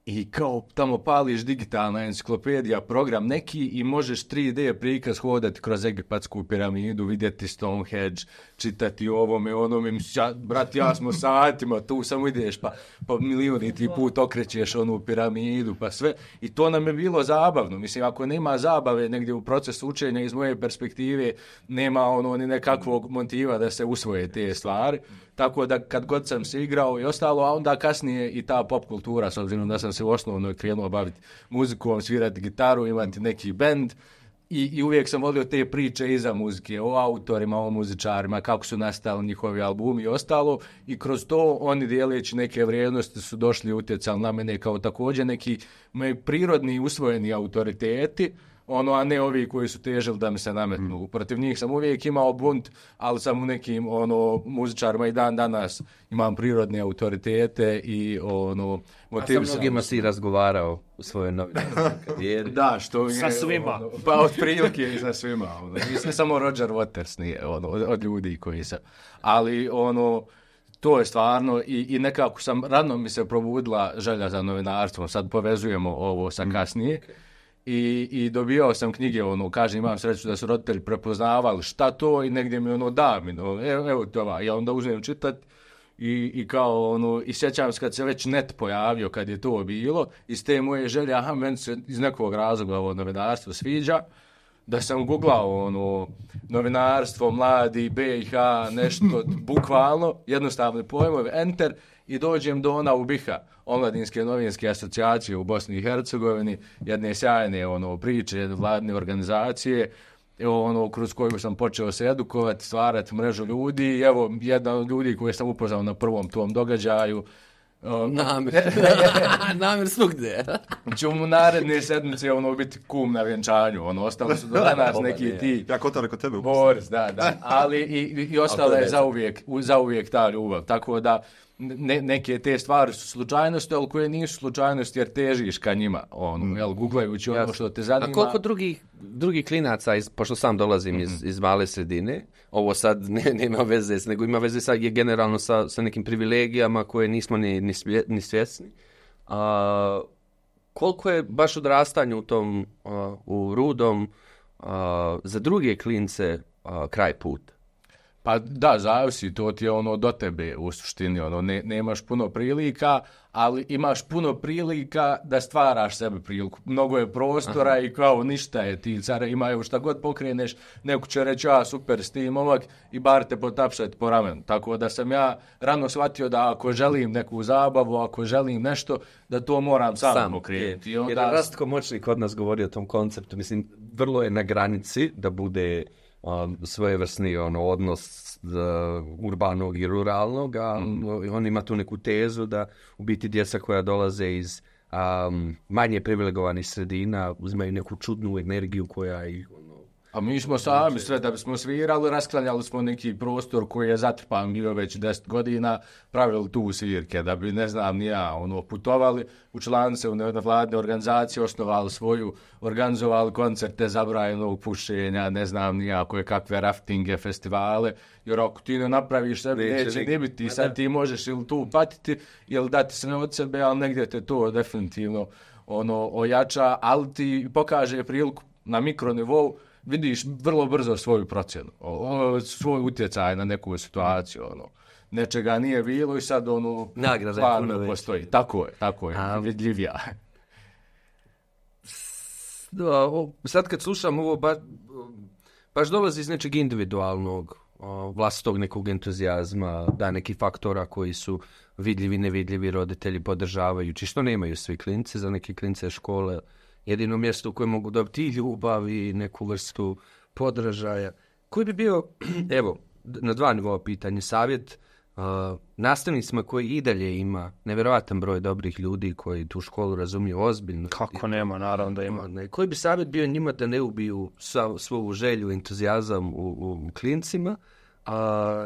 i kao tamo pališ digitalna enciklopedija, program neki i možeš tri D prikaz hodati kroz Egipatsku piramidu, vidjeti Stonehenge, čitati ovome, onome. Ja, brat, ja smo satima, tu samo ideš pa, pa milijuniti put okrećeš onu piramidu, pa sve. I to nam je bilo zabavno. Mislim, ako nema zabave negdje u procesu učenja iz moje perspektive, nema ono ni nekakvog motiva da se usvoje te stvari. Tako da kad god sam se igrao i ostalo, a onda kasnije i ta pop kultura, s obzirom da sam se u osnovnoj krenuo baviti muzikom, svirati gitaru, imati neki bend i, i uvijek sam volio te priče iza muzike, o autorima, o muzičarima, kako su nastali njihovi albumi i ostalo i kroz to oni dijeleći neke vrijednosti su došli i utjecali na mene kao također neki moji prirodni usvojeni autoriteti, ono, a ne ovi koji su težili da mi se nametnu. Mm. Protiv njih sam uvijek imao bunt, ali sam u nekim ono, muzičarima i dan danas imam prirodne autoritete i ono, motiv. A sa mnogima si razgovarao u svojoj novinarskoj karijeri. Da, što sa svima. Ono, pa od prilike i sa svima. Ono. I ne samo Roger Waters nije ono, od, od ljudi koji se... Ali ono... To je stvarno i, i nekako sam, rano mi se probudila želja za novinarstvom. Sad povezujemo ovo sa kasnije. Okay. I, i dobijao sam knjige, ono, kažem, imam sreću da su roditelji prepoznavali šta to i negdje mi ono da mi, no, evo, evo to va. Ja onda uzmem čitat i, i kao, ono, i sjećam se kad se već net pojavio, kad je to bilo, iz te moje želje, aha, meni se iz nekog razloga ovo novinarstvo sviđa, da sam googlao, ono, novinarstvo, mladi, B i H, nešto, bukvalno, jednostavne pojmove, enter, i dođem do ona U B I H-a, Omladinske novinske asocijacije u Bosni i Hercegovini, jedne sjajne ono, priče, jedne vladne organizacije, ono, kroz koju sam počeo se edukovati, stvarati mrežu ljudi i evo, jedan od ljudi koji sam upoznao na prvom tom događaju, Um, namir. namir svugdje. Ću mu naredne sedmice ono, biti kum na vjenčanju. Ono, ostali su do danas neki ti... Ja kotare kod tebe. Boris, da, da. Ali i, i ostala je zauvijek, zauvijek ta ljubav. Tako da ne, neke te stvari su slučajnosti, ali koje nisu slučajnosti jer težiš ka njima. Ono, mm. jel, googlajući ono Jasne. Što te zanima. A koliko drugih, drugih klinaca, iz, pošto sam dolazim mm-hmm. iz, iz male sredine, ovo sad ne, nema veze, nego ima veze sa, je generalno sa, sa nekim privilegijama koje nismo ni, ni, svje, ni svjesni. A, koliko je baš odrastanje u tom, a, u Rudom, a, za druge klince a, kraj puta? Pa da, zavisi, to ti je ono do tebe u suštini, ono, ne, nemaš puno prilika, ali imaš puno prilika da stvaraš sebi priliku. Mnogo je prostora. Aha. I kao ništa je, ti cara imaju šta god pokreneš, neko će reći, a super, s tim momak i bar te potapšati po ramenu. Tako da sam ja rano shvatio da ako želim neku zabavu, ako želim nešto, da to moram sam, sam pokrenuti. Je, onda... Jer Rastko Moćnik od nas govori o tom konceptu, mislim, vrlo je na granici da bude um, svojevrsni ono, odnos uh, urbanog i ruralnog, a mm. on ima tu neku tezu da u biti djeca koja dolaze iz um, manje privilegovanih sredina uzimaju neku čudnu energiju koja ih... Ono, a mi smo sami sve da bismo svirali, rasklanjali smo neki prostor koji je zatrpan bio već deset godina, pravili tu svirke da bi, ne znam, ni ja, ono, putovali u članice, u nevladne organizacije, osnovali svoju, organizovali koncerte zabranjenog pušenja, ne znam ni ja, koje kakve raftinge, festivale, jer ako ti ne napraviš sebi, neće, neće ni biti, sad ti možeš ili tu patiti, ili dati se ne od sebe, ali negdje te to definitivno ono, ojača, ali ti pokaže priliku na mikronivou, vidiš vrlo brzo svoju procjenu, o, svoj utjecaj na neku situaciju, ono. Nečega nije bilo i sad ono stvarno postoji. Tako je, tako je, A, vidljivija. Da, sad kad slušam ovo, baš, baš dolazi iz nečeg individualnog, vlastitog nekog entuzijazma, da neki faktora koji su vidljivi, nevidljivi, roditelji podržavajući, što nemaju svi klinci, za neke klince škole, jedino mjesto u kojem mogu dobiti ljubav i neku vrstu podražaja. Koji bi bio, evo, na dva nivoa pitanje, savjet uh, nastavnicima koji i dalje ima nevjerojatan broj dobrih ljudi koji tu školu razumiju ozbiljno. Kako nema, naravno da ima. Ne, koji bi savjet bio njima da ne ubiju sva, svoju želju, entuzijazam u, u klincima? Uh,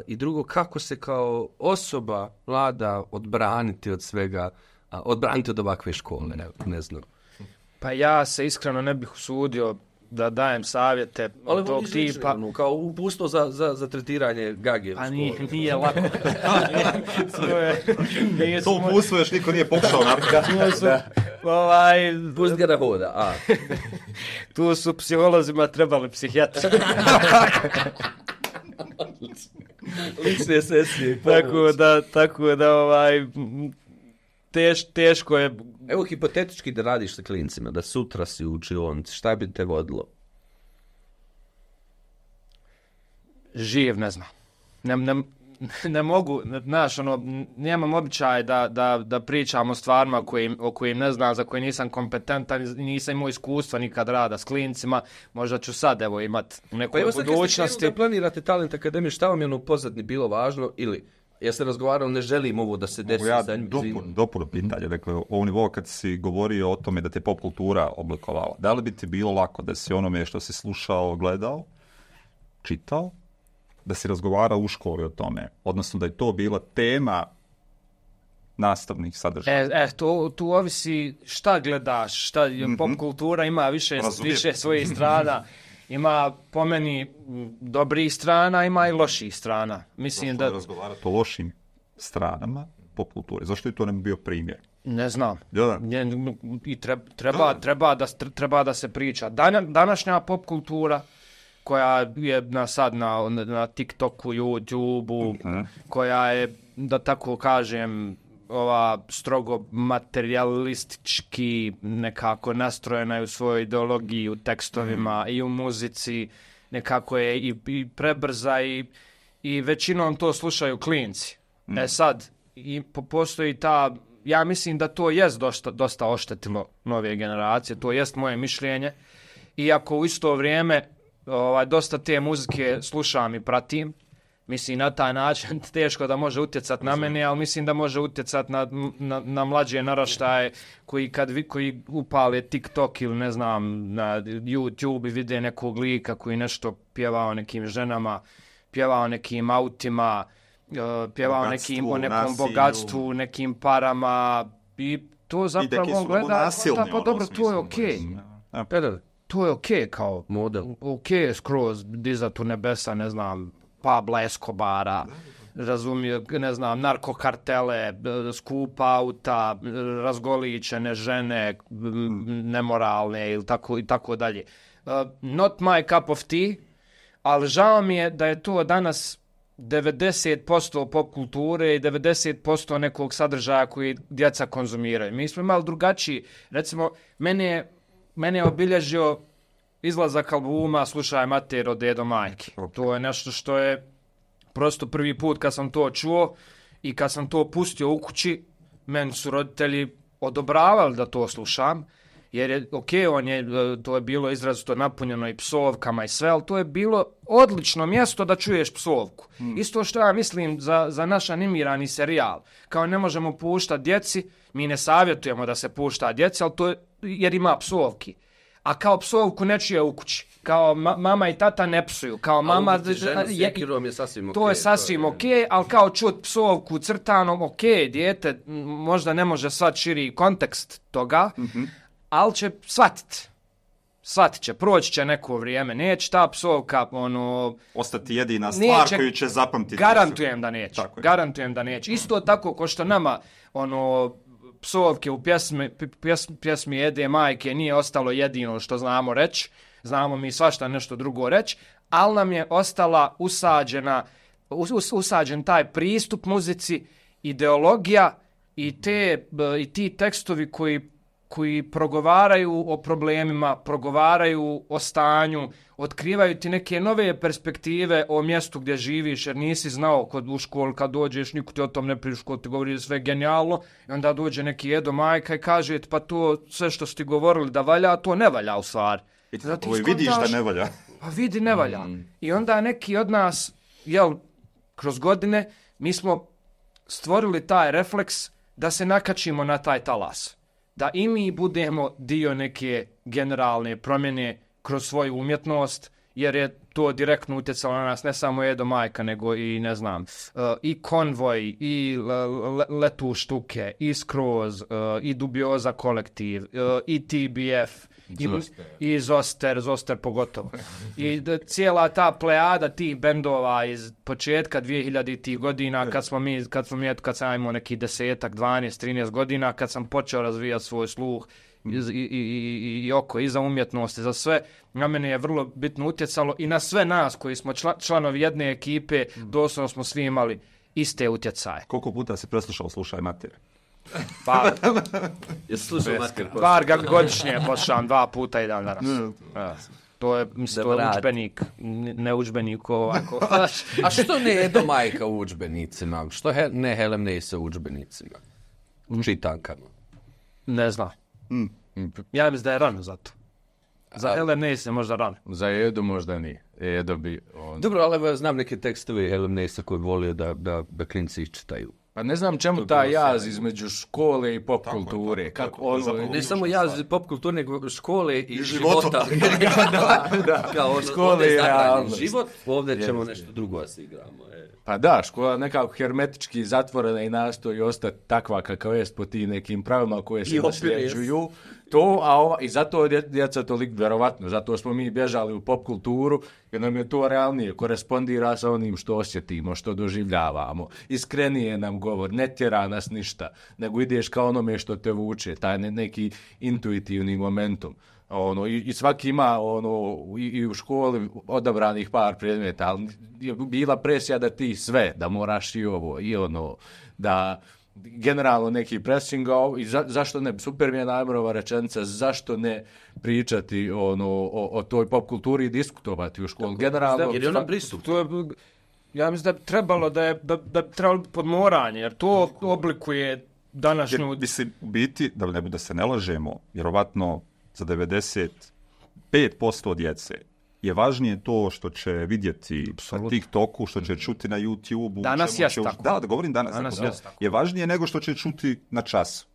I drugo, kako se kao osoba mlada odbraniti od svega, uh, odbraniti od ovakve škole, ne, ne znam. Pa ja se iskreno ne bih usudio da dajem savjete ali tog tipa. Ali kao upusto za, za, za tretiranje gage. Pa nije, nije lako. nije, to upustvo još niko nije pokušao napraviti. Ovaj, pust ga da hoda. A. Tu su psiholozima trebali psihijatri. Lične sesije. Tako da, tako da ovaj, teš, teško je. Evo hipotetički da radiš sa klincima, da sutra si u učionici, šta bi te vodilo? Živ, ne znam. Ne, ne, ne mogu, znaš, ono, nemam običaj da, da, da pričam o stvarima kojim, o kojim ne znam, za koje nisam kompetentan, nisam imao iskustva nikad rada s klincima, možda ću sad, evo, imat u nekoj pa budućnosti. Da planirate Talent Akademiju, šta vam je ono u pozadini bilo važno ili... Ja se razgovarao, ne želim ovo da se desi. Ja dopunu pitanje, dakle, ovo nivo kad si govorio o tome da te pop kultura oblikovala, da li bi ti bilo lako da si onome što si slušao, gledao, čitao, da si razgovarao u školi o tome, odnosno da je to bila tema nastavnih sadržaja? E, e to, tu ovisi šta gledaš, šta, mm-hmm. Pop kultura ima više, više svojih strana. Ima po meni dobrih strana, ima i loših strana. Mislim zašto da razgovarati o lošim stranama pop kulture? Zašto je to nam bio primjer? Ne znam. Da. I treba, treba, treba, da, treba da se priča. Dan, današnja pop kultura koja je na sad na, na TikToku, YouTubeu, uh-huh. koja je, da tako kažem, ova strogo materialistički nekako nastrojena u svojoj ideologiji, u tekstovima mm. i u muzici, nekako je i, i prebrza i, i većinom to slušaju klinci. Mm. E sad, i postoji ta, ja mislim da to jest dosta, dosta oštetilo nove generacije, to jest moje mišljenje, iako u isto vrijeme ovaj, dosta te muzike slušam i pratim. Mislim, na taj način teško da može utjecati na mene, ali mislim da može utjecati na, na, na mlađe naraštaje koji kad vi, koji upale TikTok ili ne znam na YouTube i vide nekog lika koji nešto pjevao nekim ženama, pjevao nekim autima, pjevao bogatstvu, nekim, o nekom nasilju. Bogatstvu, nekim parama i to zapravo gleda, da, pa dobro, to je okej. Okay. To je okej okay, kao model. Okej okay, skroz dizat u nebesa, ne znam, Pabla Escobara, razumije, ne znam, narkokartele, skupa auta, razgoličene žene, nemoralne ili tako, i tako dalje. Uh, not my cup of tea, ali žao mi je da je to danas devedeset posto pop kulture i devedeset posto nekog sadržaja koji djeca konzumiraju. Mi smo imali drugačiji, recimo, mene je, mene je obilježio izlazak albuma Slušaj mater od Dedo Majke. To je nešto što je prosto prvi put kad sam to čuo i kad sam to pustio u kući, meni su roditelji odobravali da to slušam, jer je, ok, on je, to je bilo izrazito napunjeno i psovkama i sve, ali to je bilo odlično mjesto da čuješ psovku. Hmm. Isto što ja mislim za, za naš animirani serijal. Kao ne možemo puštati djeci, mi ne savjetujemo da se pušta djeci, ali to je, jer ima psovki. A kao psovku ne čuje u kući. Kao ma, mama i tata ne psuju. Kao mama, ali ženu s jekirom je sasvim ok. To je sasvim ok, ali kao čut psovku crtanom, ok, dijete možda ne može sad širi kontekst toga, mm-hmm. ali će shvatiti. Shvatit će, proći će neko vrijeme. Neće ta psovka, ono... ostati jedina stvar neće, koju će zapamtiti. Garantujem da neće. Garantujem da neće. Isto tako ko što nama, ono... psovke u pjesmi, pjes, pjesmi Ede Majke nije ostalo jedino što znamo reći, znamo mi svašta nešto drugo reći, ali nam je ostala usađena, us, usađen taj pristup muzici, ideologija i, te, i ti tekstovi koji, koji progovaraju o problemima, progovaraju o stanju, otkrivaju ti neke nove perspektive o mjestu gdje živiš, jer nisi znao kod u školu kad dođeš, niko ti o tom ne priča, školu ti govori sve genijalno, i onda dođe neki Edo Majka i kaže pa to sve što ste govorili da valja, to ne valja u stvari. I ti vidiš da ne valja. Pa vidi ne valja. Mm. I onda neki od nas, jel, kroz godine, mi smo stvorili taj refleks da se nakačimo na taj talas. Da i mi budemo dio neke generalne promjene kroz svoju umjetnost, jer je to direktno utjecalo na nas, ne samo Edo Majka, nego i, ne znam, uh, i Konvoj, i le, Letu štuke, i Skroz, uh, i Dubioza kolektiv, uh, i T B F, i, i Zoster, Zoster pogotovo. I da, cijela ta plejada tih bendova iz početka dvehiljaditih godina, kad smo mi, kad smo mi, kad sam imao neki desetak, dvanaest, trinaest godina, kad sam počeo razvijati svoj sluh, I, i, i, i, i oko, i za umjetnost, i za sve, na mene je vrlo bitno utjecalo i na sve nas koji smo čla, članovi jedne ekipe, doslovno smo svi imali iste utjecaje. Koliko puta si preslušao Slušaj mater? Pa, jesi slušao mater? Bar ga godišnje poslušam, dva puta i dan danas. Ja. To je, mislim, to je udžbenik, ne udžbenik ovako. A što ne Edo Majka u udžbenicima? Što he, ne Helen Nase u udžbenicima? U čitankama? Ne znam. Mm. Ja mislim da je rano za to. Za Helen Nase je možda rano. Za Edo možda nije. Edo bi on... Dobro, ali znam neke tekstove Helen Nase koji volio da, da, da klinci ih čitaju. Pa ne znam čemu ta jaz između škole i pop kulture. Kako tako, ono, ne samo jaz pop kulture, nego škole i, i života. da, da. Kao ono, škole i realno. Život, ovdje ćemo yes. nešto drugo da se igramo. E. Pa da, škola nekako hermetički zatvorena i nastoji ostati takva kakav jest po tim nekim pravilima koje se nasljeđuju. To, a ova, i zato je djeca toliko vjerovatno, zato smo mi bježali u pop kulturu, jer nam je to realnije, korespondira sa onim što osjetimo, što doživljavamo. Iskrenije nam govor, ne tjera nas ništa, nego ideš kao onome što te vuče, taj ne, neki intuitivni momentum. Ono, i, i svaki ima ono, i, i u školi odabranih par predmeta, ali je bila presija da ti sve, da moraš i ovo, i ono, da... generalno neki pressing, i za, zašto ne, super mi je Najmrova rečenica, zašto ne pričati ono, o, o toj pop kulturi i diskutovati u školu. Generalno, jer je ona pristup. To je, ja mislim da je trebalo da je, da, da je trebalo podmoranje, jer to oblikuje današnju... Jer, mislim, u biti, da, ne, da se ne lažemo, vjerovatno za devedeset pet posto djece je važnije to što će vidjeti na TikToku, što će čuti na YouTubeu. Danas je tako. Da, da govorim danas. danas tako, tako. Je važnije nego što će čuti na času.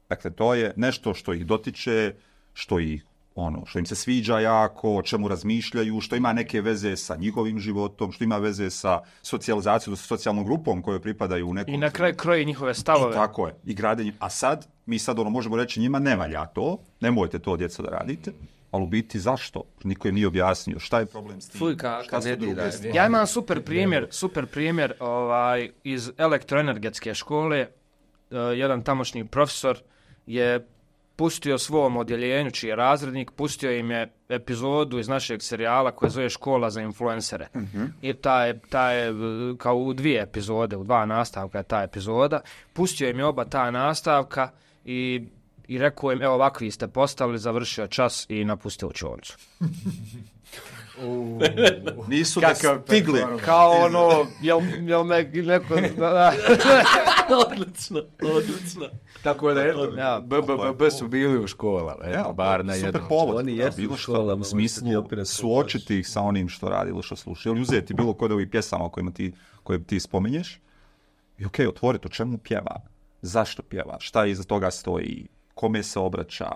Dakle, to je nešto što ih dotiče, što ih ono, što im se sviđa jako, o čemu razmišljaju, što ima neke veze sa njihovim životom, što ima veze sa socijalizacijom, sa socijalnom grupom kojoj pripadaju u nekom... I na kraju kroji njihove stavove. I tako je. I gradenje. A sad, mi sad ono možemo reći njima ne valja to, nemojte to djeco da radite. Ali u biti zašto? Niko im nije objasnio. Šta je problem s tim? Fuj, kako ne dira. Ja imam super primjer, super primjer ovaj, iz elektroenergetske škole. Uh, jedan tamošnji profesor je pustio svom odjeljenju, čiji je razrednik, pustio im je epizodu iz našeg serijala koja zove Škola za influencere. Mm-hmm. I ta je, ta je kao u dvije epizode, u dva nastavka je ta epizoda. Pustio im je oba ta nastavka i, i rekao im, evo ovakvi ste postavili, završio čas i napustio učioncu. Uh, nisu da stigli. Kao ono, jel, jel me neko... odlično, odlično. Tako da, eto, ja, B B B B su bili u školama, eto, ja, bar na jednom. Super povod, oni jesu bilo što u smislu suočiti ih sa onim što radi ili što sluša. Ili uzeti bilo kod ovih pjesama kojima ti, koje ti spomenješ i okej, okay, otvoriti o čemu pjeva, zašto pjeva, šta iza toga stoji, kome se obraća,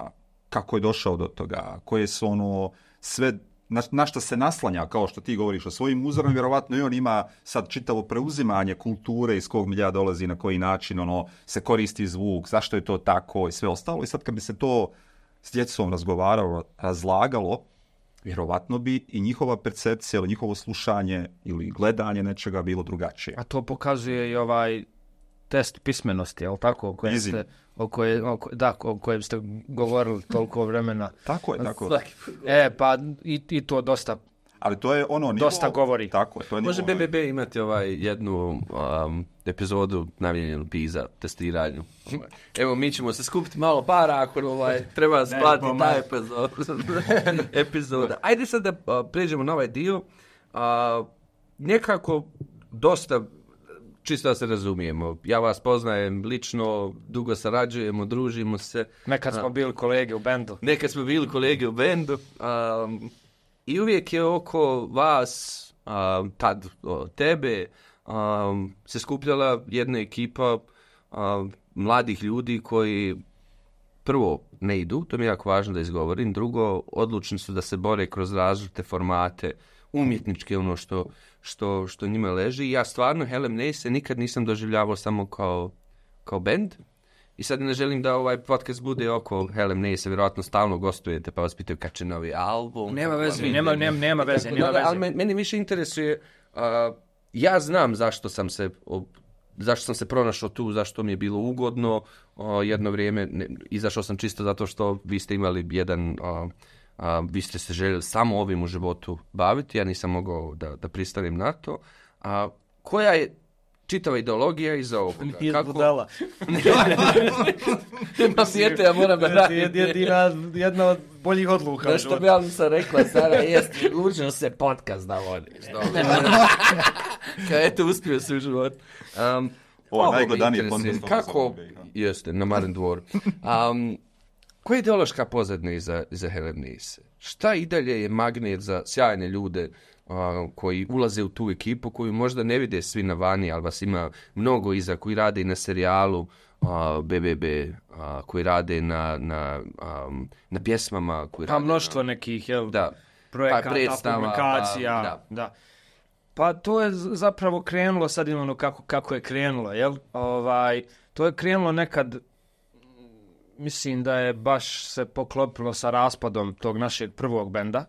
kako je došao do toga, koje su ono sve... Na, na što se naslanja, kao što ti govoriš o svojim uzorom, vjerovatno i on ima sad čitavo preuzimanje kulture iz kog milja dolazi, na koji način ono se koristi zvuk, zašto je to tako i sve ostalo. I sad kad bi se to s djecom razgovaralo, razlagalo, vjerovatno bi i njihova percepcija ili njihovo slušanje ili gledanje nečega bilo drugačije. A to pokazuje i ovaj test pismenosti, je li tako? O kojem ste, o koje, o, da, o kojem ste govorili toliko vremena. Tako je, tako. E, pa i, i to dosta, ali to je ono nivo, dosta govori. Tako je, to je može B B B imati ovaj jednu um, epizodu namijenjenu za testiranju. Evo, mi ćemo se skupiti malo para ako ovaj, treba splatiti taj epizod. epizoda. Ajde sad da uh, pređemo na ovaj dio. Uh, nekako dosta... Čisto da se razumijemo. Ja vas poznajem lično, dugo sarađujemo, družimo se. Nekad smo bili kolege u bendu. Nekad smo bili kolege u bendu. Um, I uvijek je oko vas, um, tad o, tebe, um, se skupljala jedna ekipa um, mladih ljudi koji prvo ne idu, to mi je jako važno da izgovorim, drugo odlučni su da se bore kroz različite formate, umjetničke, ono što, što, što njima leži. I ja stvarno Hellem Nase nikad nisam doživljavao samo kao, kao band. I sad ne želim da ovaj podcast bude oko Hellem Nase, vjerojatno stalno gostujete pa vas pitaju kad će novi album. Nema veze, nema, nema, nema veze. Nema veze. Ali meni više interesuje, uh, ja znam zašto sam se... Ob, zašto sam se pronašao tu, zašto mi je bilo ugodno uh, jedno vrijeme. Ne, izašao sam čisto zato što vi ste imali jedan... Uh, Uh, vi ste se željeli samo ovim u životu baviti, ja nisam mogao da, da pristanem na to. A uh, koja je čitava ideologija iza ovoga? Nije Kako... budala. Nema sjete, ja moram da radim. Jedina, jedna od boljih odluka. Da što bi ja sam rekla, Sara, jest, učinu se podcast da vodiš. Kaj eto, uspio se u životu. Um, Ovo najgledanije podcast. Kako, jeste, na Maren dvoru. Um, Koja je ideološka pozadina iza, iza Hellem Nase? Šta i dalje je magnet za sjajne ljude uh, koji ulaze u tu ekipu, koju možda ne vide svi na vani, ali vas ima mnogo iza, koji rade i na serijalu uh, B B B, uh, koji rade na, na, um, na pjesmama. Koji pa rade mnoštvo na, nekih jel, da, projekata, pa predstava, publikacija. Pa, da. Da. Pa to je zapravo krenulo, sad imamo kako, kako je krenulo. Jel? Ovaj, to je krenulo nekad... Mislim da je baš se poklopilo sa raspadom tog našeg prvog benda.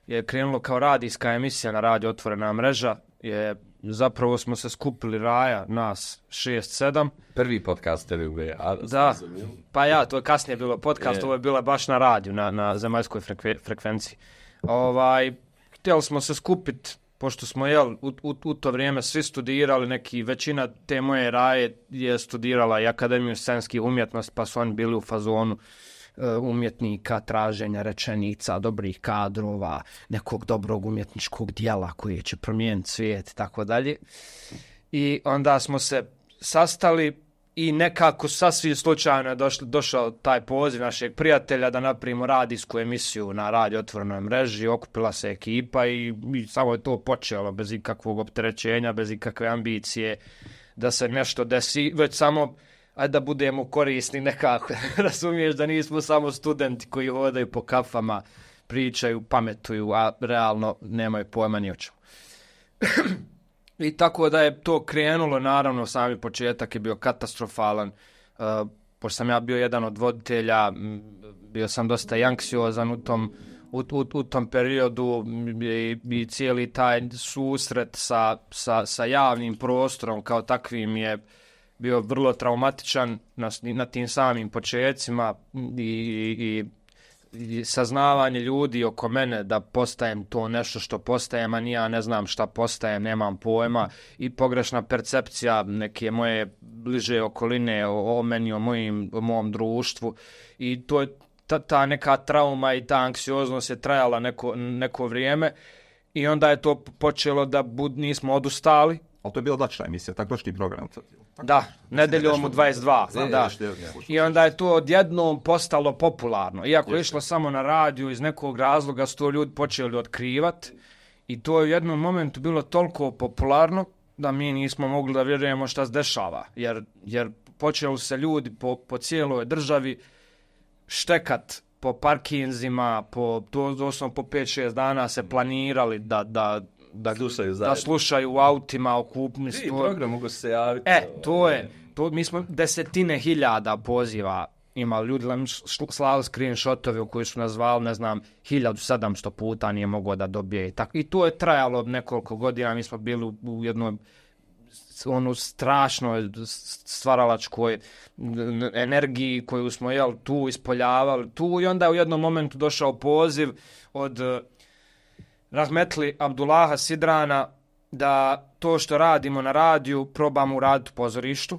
Je krenulo kao radijska emisija na Radio Otvorena mreža. Je, zapravo smo se skupili Raja, nas šest sedam. Prvi podcaster u B. Da, pa ja, to je kasnije bilo podcast, je. Ovo je bilo baš na radiju, na, na zemaljskoj frekve, frekvenciji. Ovaj, htjeli smo se skupiti, pošto smo jel, u, u, u to vrijeme svi studirali, neki, većina te moje Raje je studirala i Akademiju scenskih umjetnosti, pa su oni bili u fazonu uh, umjetnika, traženja rečenica, dobrih kadrova, nekog dobrog umjetničkog dijela koji će promijeniti svijet i tako dalje. I onda smo se sastali i nekako sasvim slučajno je došlo, došao taj poziv našeg prijatelja da napravimo radijsku emisiju na Radio Otvorenoj mreži, okupila se ekipa i, i samo je to počelo bez ikakvog opterećenja, bez ikakve ambicije da se nešto desi, već samo ajde da budemo korisni nekako, razumiješ da nismo samo studenti koji hodaju po kafama, pričaju, pametuju, a realno nemaju pojma ni o čemu. I tako da je to krenulo, naravno, sami početak je bio katastrofalan, uh, pošto sam ja bio jedan od voditelja, bio sam dosta i anksiozan u tom, u, u, u tom periodu i, i cijeli taj susret sa, sa, sa javnim prostorom kao takvim je bio vrlo traumatičan na, na tim samim počecima i, i, i saznavanje ljudi oko mene da postajem to nešto što postajem, a ni ja ne znam šta postajem, nemam pojma, i pogrešna percepcija neke moje bliže okoline o, o meni, o, mojim, o mom društvu, i to je ta, ta neka trauma i ta anksioznost je trajala neko, neko vrijeme, i onda je to počelo da bud, nismo odustali. Ali to je bila dačna emisija, tako došli program. Da, nedeljom u dvadeset dva. Ne, da. I onda je to odjednom postalo popularno. Iako je išlo samo na radiju, iz nekog razloga su to ljudi počeli otkrivati. I to je u jednom momentu bilo toliko popularno da mi nismo mogli da vjerujemo šta se dešava. Jer, jer počeli se ljudi po, po cijeloj državi štekat po parkinzima, po, doslovno po pet šest dana se planirali da... da Da slušaju, da slušaju u autima, okupni i program mogu se javiti. E, to je, to, mi smo desetine hiljada poziva imali, ljudi nam slali screenshotove u koji su nas zvali, ne znam, hiljadu sedamsto puta nije mogao da dobije. I, tako, i to je trajalo nekoliko godina, mi smo bili u, u jednoj onu strašnoj stvaralačkoj energiji koju smo jel, tu ispoljavali, tu, i onda u jednom momentu došao poziv od Rahmetli Abdullaha Sidrana da to što radimo na radiju probamo uraditi u pozorištu,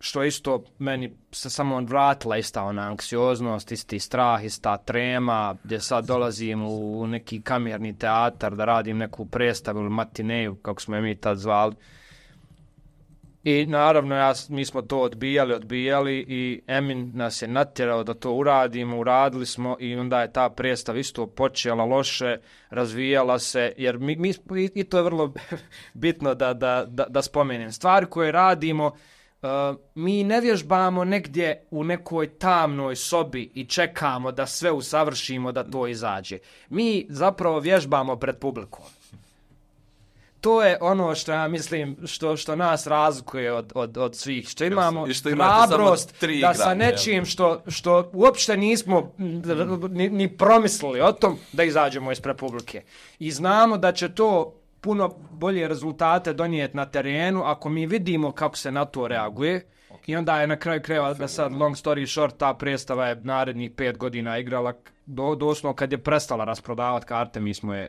što isto meni se samo vratila ista ona anksioznost, isti strah, ista trema, gdje sad dolazim u neki kamerni teatar da radim neku predstavu ili matineju, kako smo je mi tad zvali. I naravno ja, mi smo to odbijali, odbijali i Emin nas je natjerao da to uradimo, uradili smo, i onda je ta predstava isto počela loše, razvijala se, jer mi, mi i to je vrlo bitno da, da, da, da spomenem. Stvari koje radimo, uh, mi ne vježbamo negdje u nekoj tamnoj sobi i čekamo da sve usavršimo da to izađe. Mi zapravo vježbamo pred publikom. To je ono što ja mislim što, što nas razlikuje od, od, od svih. Što imamo hrabrost da sa nečim što, što uopšte nismo ni, ni promislili o tom da izađemo ispred publike. I znamo da će to puno bolje rezultate donijeti na terenu ako mi vidimo kako se na to reaguje. I onda je na kraju krajeva, da sad long story short, ta predstava je narednih pet godina igrala, do, doslovno kad je prestala rasprodavati karte, mi smo je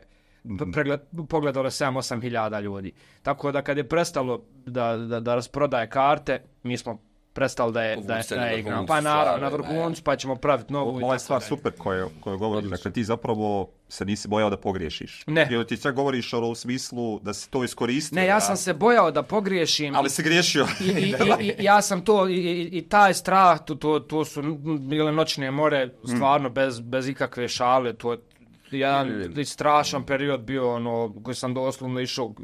Pregled, pogledalo sedam osam hiljada ljudi. Tako da kad je prestalo da, da, da rasprodaje karte, mi smo prestali da je, da je, da je igramo. Pa naravno, na vrhuncu, pa ćemo praviti novu. Ova je stvar super koju koju govoriš, dakle ti zapravo se nisi bojao da pogriješiš. Ne. Jer ti sve govoriš u smislu da se to iskoristio. Ne, ja sam se bojao da pogriješim. Ali si griješio. I, i, i, i ja sam to, i, i, i taj strah, to, to, to su bile noćne more, stvarno, mm. bez, bez ikakve šale, to jedan strašan period bio, ono, koji sam doslovno išao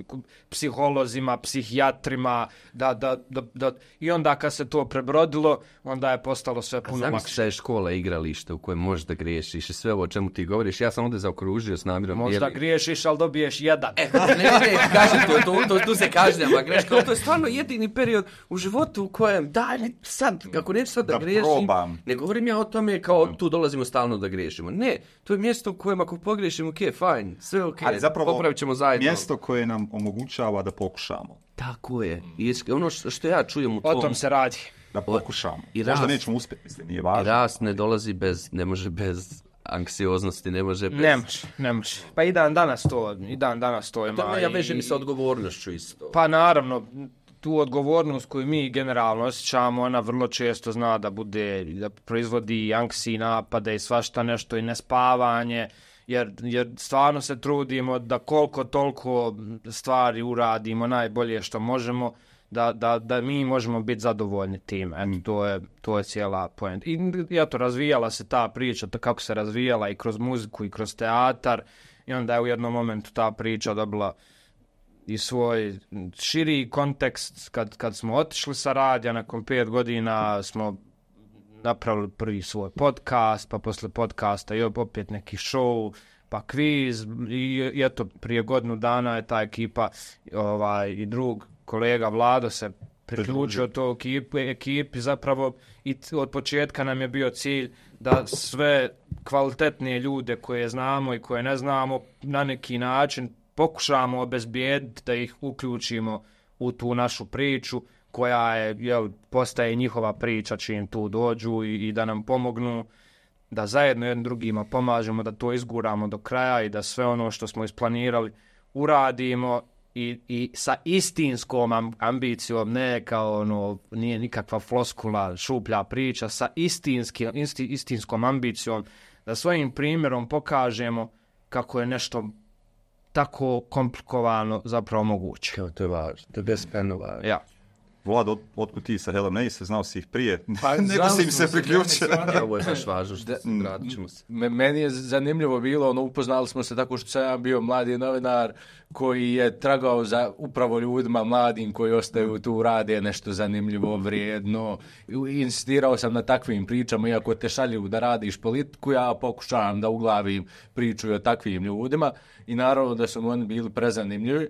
psiholozima, psihijatrima, da, da, da, da, i onda kad se to prebrodilo, onda je postalo sve puno lakše. Zamisli je škola, igralište u kojem možeš da griješiš i sve ovo o čemu ti govoriš, ja sam ovdje zaokružio s namjerom. Možda jer... griješiš, ali dobiješ jedan. E, ne, ne, ne, kažem, to, to, to, tu se kažnjava greška, ali to je stvarno jedini period u životu u kojem, daj, ne, sad, kako neću sad da, da griješim, probam. Ne govorim ja o tome kao tu dolazimo stalno da griješimo. Ne, to je mjesto u kojem ako pogriješimo, ok, fajn, sve ok, ali zapravo popravit ćemo zajedno. Mjesto koje nam omogućava da pokušamo. Tako je. I ono što, što ja čujem u tom... O tom se radi. Da pokušamo. I rast, možda nećemo uspjeti, mislim, nije važno. I rast ne dolazi bez, ne može bez anksioznosti, ne može bez... Ne može, ne može. Pa i dan danas to, i dan danas to ima. To ja vežem i sa odgovornošću isto. Pa naravno, tu odgovornost koju mi generalno osjećamo, ona vrlo često zna da bude, da proizvodi anksiji napade i svašta nešto i nespavanje, jer, jer stvarno se trudimo da koliko toliko stvari uradimo najbolje što možemo, da, da, da mi možemo biti zadovoljni tim. Eto, to je, to je cijela poenta. I eto, razvijala se ta priča, to kako se razvijala i kroz muziku i kroz teatar, i onda je u jednom momentu ta priča dobila i svoj širi kontekst kad, kad smo otišli sa radija, nakon pet godina smo napravili prvi svoj podcast, pa posle podcasta i opet neki show, pa kviz, i, i eto, prije godinu dana je ta ekipa ovaj, i drug kolega Vlado se priključio to ekipi, ekipi zapravo, i od početka nam je bio cilj da sve kvalitetnije ljude koje znamo i koje ne znamo na neki način pokušamo obezbijediti da ih uključimo u tu našu priču koja je, jel, postaje njihova priča čim tu dođu i, i da nam pomognu da zajedno jednim drugima pomažemo, da to izguramo do kraja i da sve ono što smo isplanirali uradimo i, i sa istinskom ambicijom, ne kao ono, nije nikakva floskula, šuplja priča, sa istinski, isti, istinskom ambicijom da svojim primjerom pokažemo kako je nešto tako komplikovano zapravo moguće. Kao to je važno, to je beskrajno važno. Ja. Vlad, od, otkud ti sa Hellem Neise, znao si ih prije, pa, nego si im se priključio. Ovo je baš važno, što vratit ćemo se. Meni je zanimljivo bilo, ono, upoznali smo se tako što sam ja bio mladi novinar koji je tragao za upravo ljudima mladim koji ostaju tu, rade nešto zanimljivo, vrijedno. Insistirao sam na takvim pričama, iako te šalju da radiš politiku, ja pokušavam da uglavim priču o takvim ljudima i naravno da su oni bili prezanimljivi.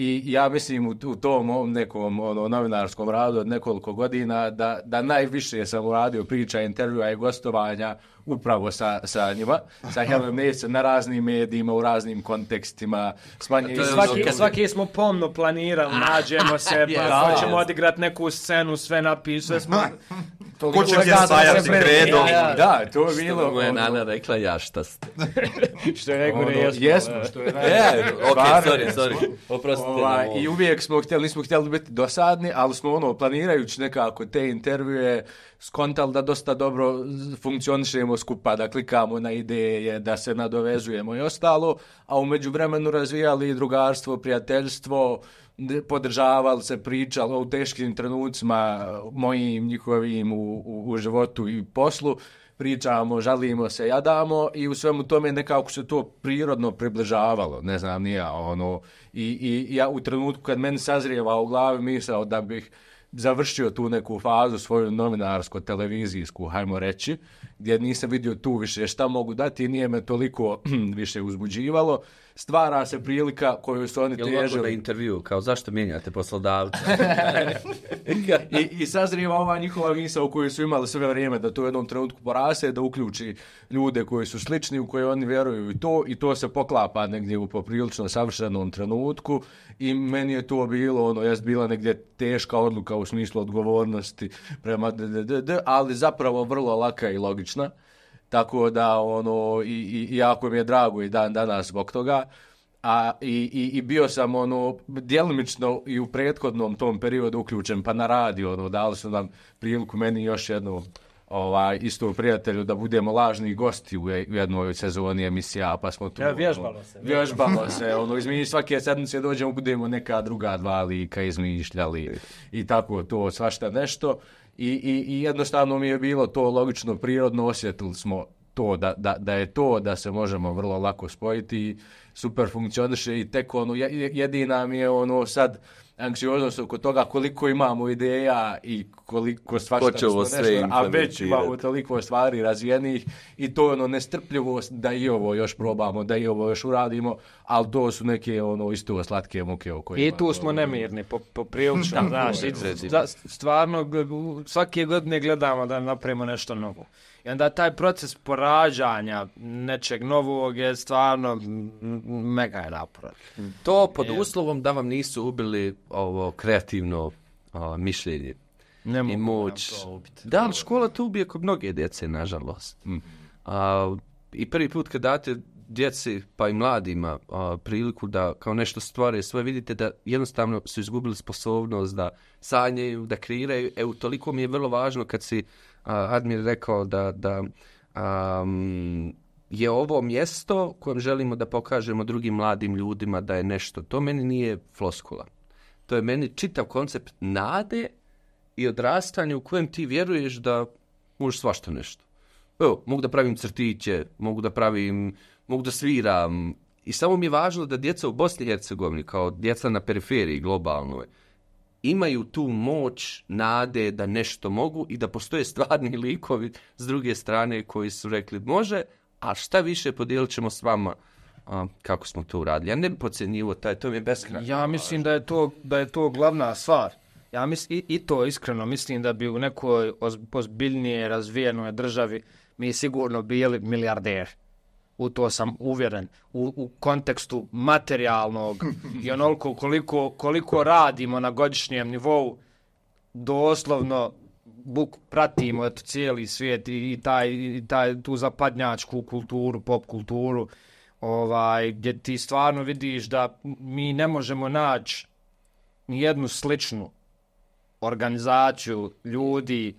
I ja mislim u, u tom nekom ono, novinarskom radu od nekoliko godina da, da najviše sam uradio priča, intervjua i gostovanja upravo sa, sa njima, sa Hellem Neise na raznim medijima, u raznim kontekstima. Smanje, svaki, ono, svaki smo pomno planirali, nađemo se, pa yes, hoćemo yes. odigrati neku scenu, sve napišu, sve smo... Ko će gdje stajati kredom? Da, to je bilo... Što moja nana rekla, ja šta ste. Što je rekao, ne jesmo. Jesmo, što je rekao. Ok, sorry, sorry. Oprostite. Ova, I uvijek smo htjeli, nismo htjeli biti dosadni, ali smo ono, planirajući nekako te intervjue, skontali da dosta dobro funkcionišemo skupa, da klikamo na ideje, da se nadovezujemo i ostalo, a u međuvremenu razvijali drugarstvo, prijateljstvo, podržavali se, pričali o teškim trenucima mojim, njihovim u, u, u životu i poslu, pričamo, žalimo se, jadamo i u svemu tome nekako se to prirodno približavalo, ne znam, nije ono, i, i ja u trenutku kad meni sazrijeva u glavi misao da bih završio tu neku fazu svoju novinarsko-televizijsku, hajmo reći, gdje nisam vidio tu više šta mogu dati i nije me toliko više uzbuđivalo. Stvara se prilika koju su oni težili. Jel' mogu da intervju, kao zašto mijenjate poslodavca? I, I sazrijeva ova njihova misao u kojoj su imali sve vrijeme da to u jednom trenutku porase, da uključi ljude koji su slični, u koje oni vjeruju i to, i to se poklapa negdje u poprilično savršenom trenutku i meni je to bilo, ono, jest bila negdje teška odluka u smislu odgovornosti prema d, d, d, d, ali zapravo vrlo laka i logična. Tako da, ono, i, i, i jako mi je drago i dan danas zbog toga. A, i, i, i bio sam, ono, djelomično i u prethodnom tom periodu uključen, pa na radio, ono, dali su nam priliku meni još jednu, ovaj, isto prijatelju, da budemo lažni gosti u, u jednoj sezoni emisija, pa smo tu... Ja, vježbalo se. Vježbalo se, ono, izmišljali, svake sedmice dođemo, budemo neka druga dva lika izmišljali i tako to, svašta nešto. I, i, I jednostavno mi je bilo to logično, prirodno, osjetili smo to, da, da, da je to, da se možemo vrlo lako spojiti, super funkcioniše i tek ono, jedina mi je ono sad anksioznost oko toga koliko imamo ideja i koliko svašta smo nešto, a već imamo toliko stvari razvijenih i to ono nestrpljivost da i ovo još probamo, da i ovo još uradimo, ali to su neke ono isto slatke muke o kojima... I tu smo nemirni, po, po prilično, znaš, stvarno svake godine gledamo da napravimo nešto novo. I onda taj proces porađanja nečeg novog je stvarno mega je naporan. To pod uslovom da vam nisu ubili ovo kreativno o, mišljenje ne i moć. Da, ali škola to ubije kod mnoge djece, nažalost. Mm. A, I prvi put kad date djeci, pa i mladima, a, priliku da kao nešto stvore svoje, vidite da jednostavno su izgubili sposobnost da sanjaju, da kreiraju. Evo, toliko mi je vrlo važno kad si a, Admir rekao da, da um, je ovo mjesto kojem želimo da pokažemo drugim mladim ljudima da je nešto. To meni nije floskula. To je meni čitav koncept nade i odrastanja u kojem ti vjeruješ da možeš svašta nešto. Evo, mogu da pravim crtiće, mogu da pravim, mogu da sviram. I samo mi je važno da djeca u Bosni i Hercegovini, kao djeca na periferiji globalnoj, imaju tu moć, nade da nešto mogu i da postoje stvarni likovi s druge strane koji su rekli može, a šta više podijelit ćemo s vama a, kako smo to uradili. Ja ne bi podcjenjivo taj, to mi je beskrajno. Ja mislim da je to, da je to glavna stvar. Ja mislim, i, i to iskreno mislim da bi u nekoj ozbiljnije razvijenoj državi mi sigurno bili milijarderi. U to sam uvjeren. U, u kontekstu materijalnog i onoliko koliko, koliko radimo na godišnjem nivou, doslovno buk, pratimo eto, cijeli svijet i, i, taj, i taj, tu zapadnjačku kulturu, pop kulturu, ovaj, gdje ti stvarno vidiš da mi ne možemo naći nijednu sličnu organizaciju ljudi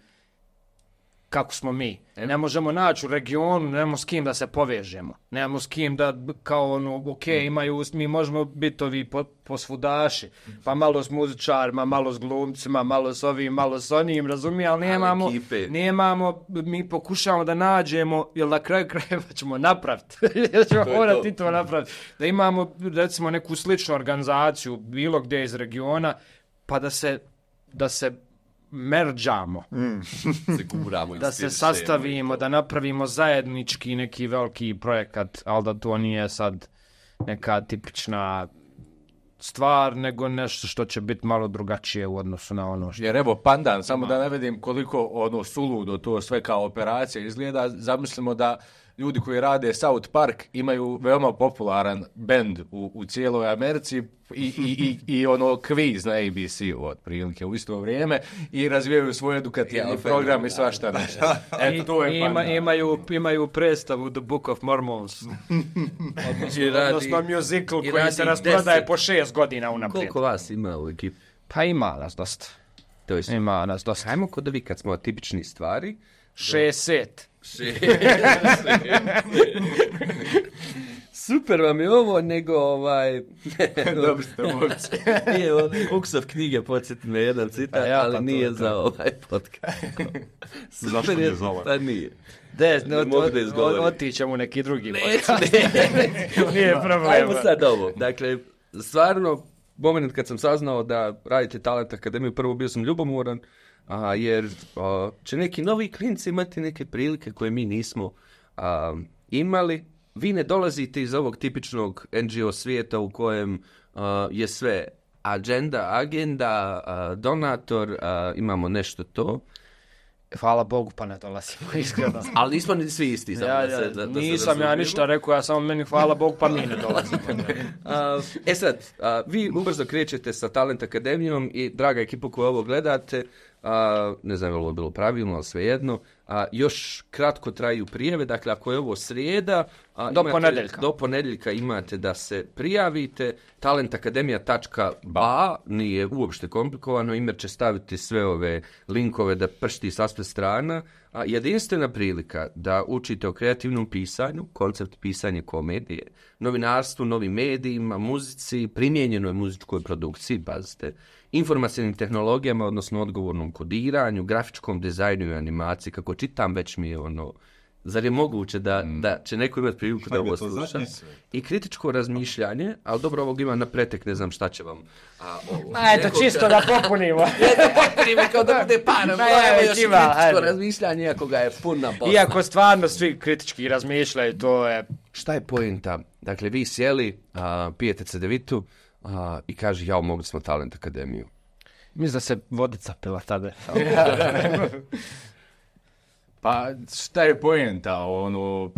kako smo mi. Ne možemo naći u regionu, nemamo s kim da se povežemo. Nemamo s kim da, kao ono, ok, imaju, mi možemo biti ovi po, posvudaši, pa malo s muzičarima, malo s glumcima, malo s ovim, malo s onim, razumije, ali nemamo, nemamo, mi pokušamo da nađemo, jer na kraju krajeva ćemo napraviti, jer ćemo morati to napraviti, da imamo, recimo, neku sličnu organizaciju, bilo gdje iz regiona, pa da se, da se merđamo, mm. se kuramo da se sastavimo, da napravimo zajednički neki veliki projekat, ali da to nije sad neka tipična stvar, nego nešto što će biti malo drugačije u odnosu na ono što... Jer evo, pandan, samo da ne vidim koliko ono suludo to sve kao operacija izgleda, zamislimo da ljudi koji rade South Park imaju veoma popularan bend u, u cijeloj Americi i, i, i, i ono kviz na A B C-u otprilike u isto vrijeme i razvijaju svoj edukativni program i svašta nešto. Eto, to je Ima, imaju, imaju predstavu The Book of Mormons. odnosno, odnosno musical koji se rasprodaje po šest godina unaprijed. Koliko vas ima u ekipi? Pa ima nas dosta. To je ima nas dosta. Hajmo kod ovi kad smo tipični stvari. Šest. Super vam je ovo, nego ovaj... Dobro ste momci. Nije ovo, Uksov knjige, podsjeti me jedan citat, ja, ali pa nije to, za ovaj podcast. Zašto nije za ovaj? Pa nije. Des, ne, ne od, od, otićemo neki drugi podcast. Ne, ne. Nije problema. Ajmo sad ovo. Dakle, stvarno, moment kad sam saznao da radite Talent Akademiju, prvo bio sam ljubomoran, a, jer a, će neki novi klinci imati neke prilike koje mi nismo a, imali. Vi ne dolazite iz ovog tipičnog N G O svijeta u kojem a, je sve agenda, agenda, a, donator, a, imamo nešto to. Hvala Bogu, pa ne dolazimo, iskreno. Ali nismo ni svi isti. Ja, ja, da se, da, da nisam se ja ništa rekao, ja samo meni hvala Bogu, pa mi ne dolazimo. uh, e sad, uh, vi ubrzo krećete sa Talent Akademijom i, draga ekipa koja ovo gledate, uh, ne znam je li ovo bilo pravilno, ali svejedno, uh, još kratko traju prijave, dakle ako je ovo srijeda, uh, do, imate, ponedjeljka. do ponedjeljka imate da se prijavite, talentakademija tačka ba, nije uopšte komplikovano, Imer će staviti sve ove linkove da pršti sa sve strana, a jedinstvena prilika da učite o kreativnom pisanju, koncept pisanja komedije, novinarstvu, novim medijima, muzici, primijenjenoj muzičkoj produkciji, pazite, informacijnim tehnologijama, odnosno odgovornom kodiranju, grafičkom dizajnu i animaciji, kako čitam već mi je ono, zar je moguće da, mm. da će neko imati priliku da ovo sluša? I kritičko razmišljanje, ali dobro, ovog ima na pretek, ne znam šta će vam... A, ovo, Ma eto, čisto da popunimo. da popunimo kao da bude panom, no, evo još ima, kritičko ajde. razmišljanje, iako ga je puna posla. Iako stvarno svi kritički razmišljaju, to je... Šta je pointa? Dakle, vi sjeli, a, pijete cedevitu a, i kaže, jao, mogli smo Talent Akademiju. Mislim da se vodica pila tada. Pa šta je poenta, ono,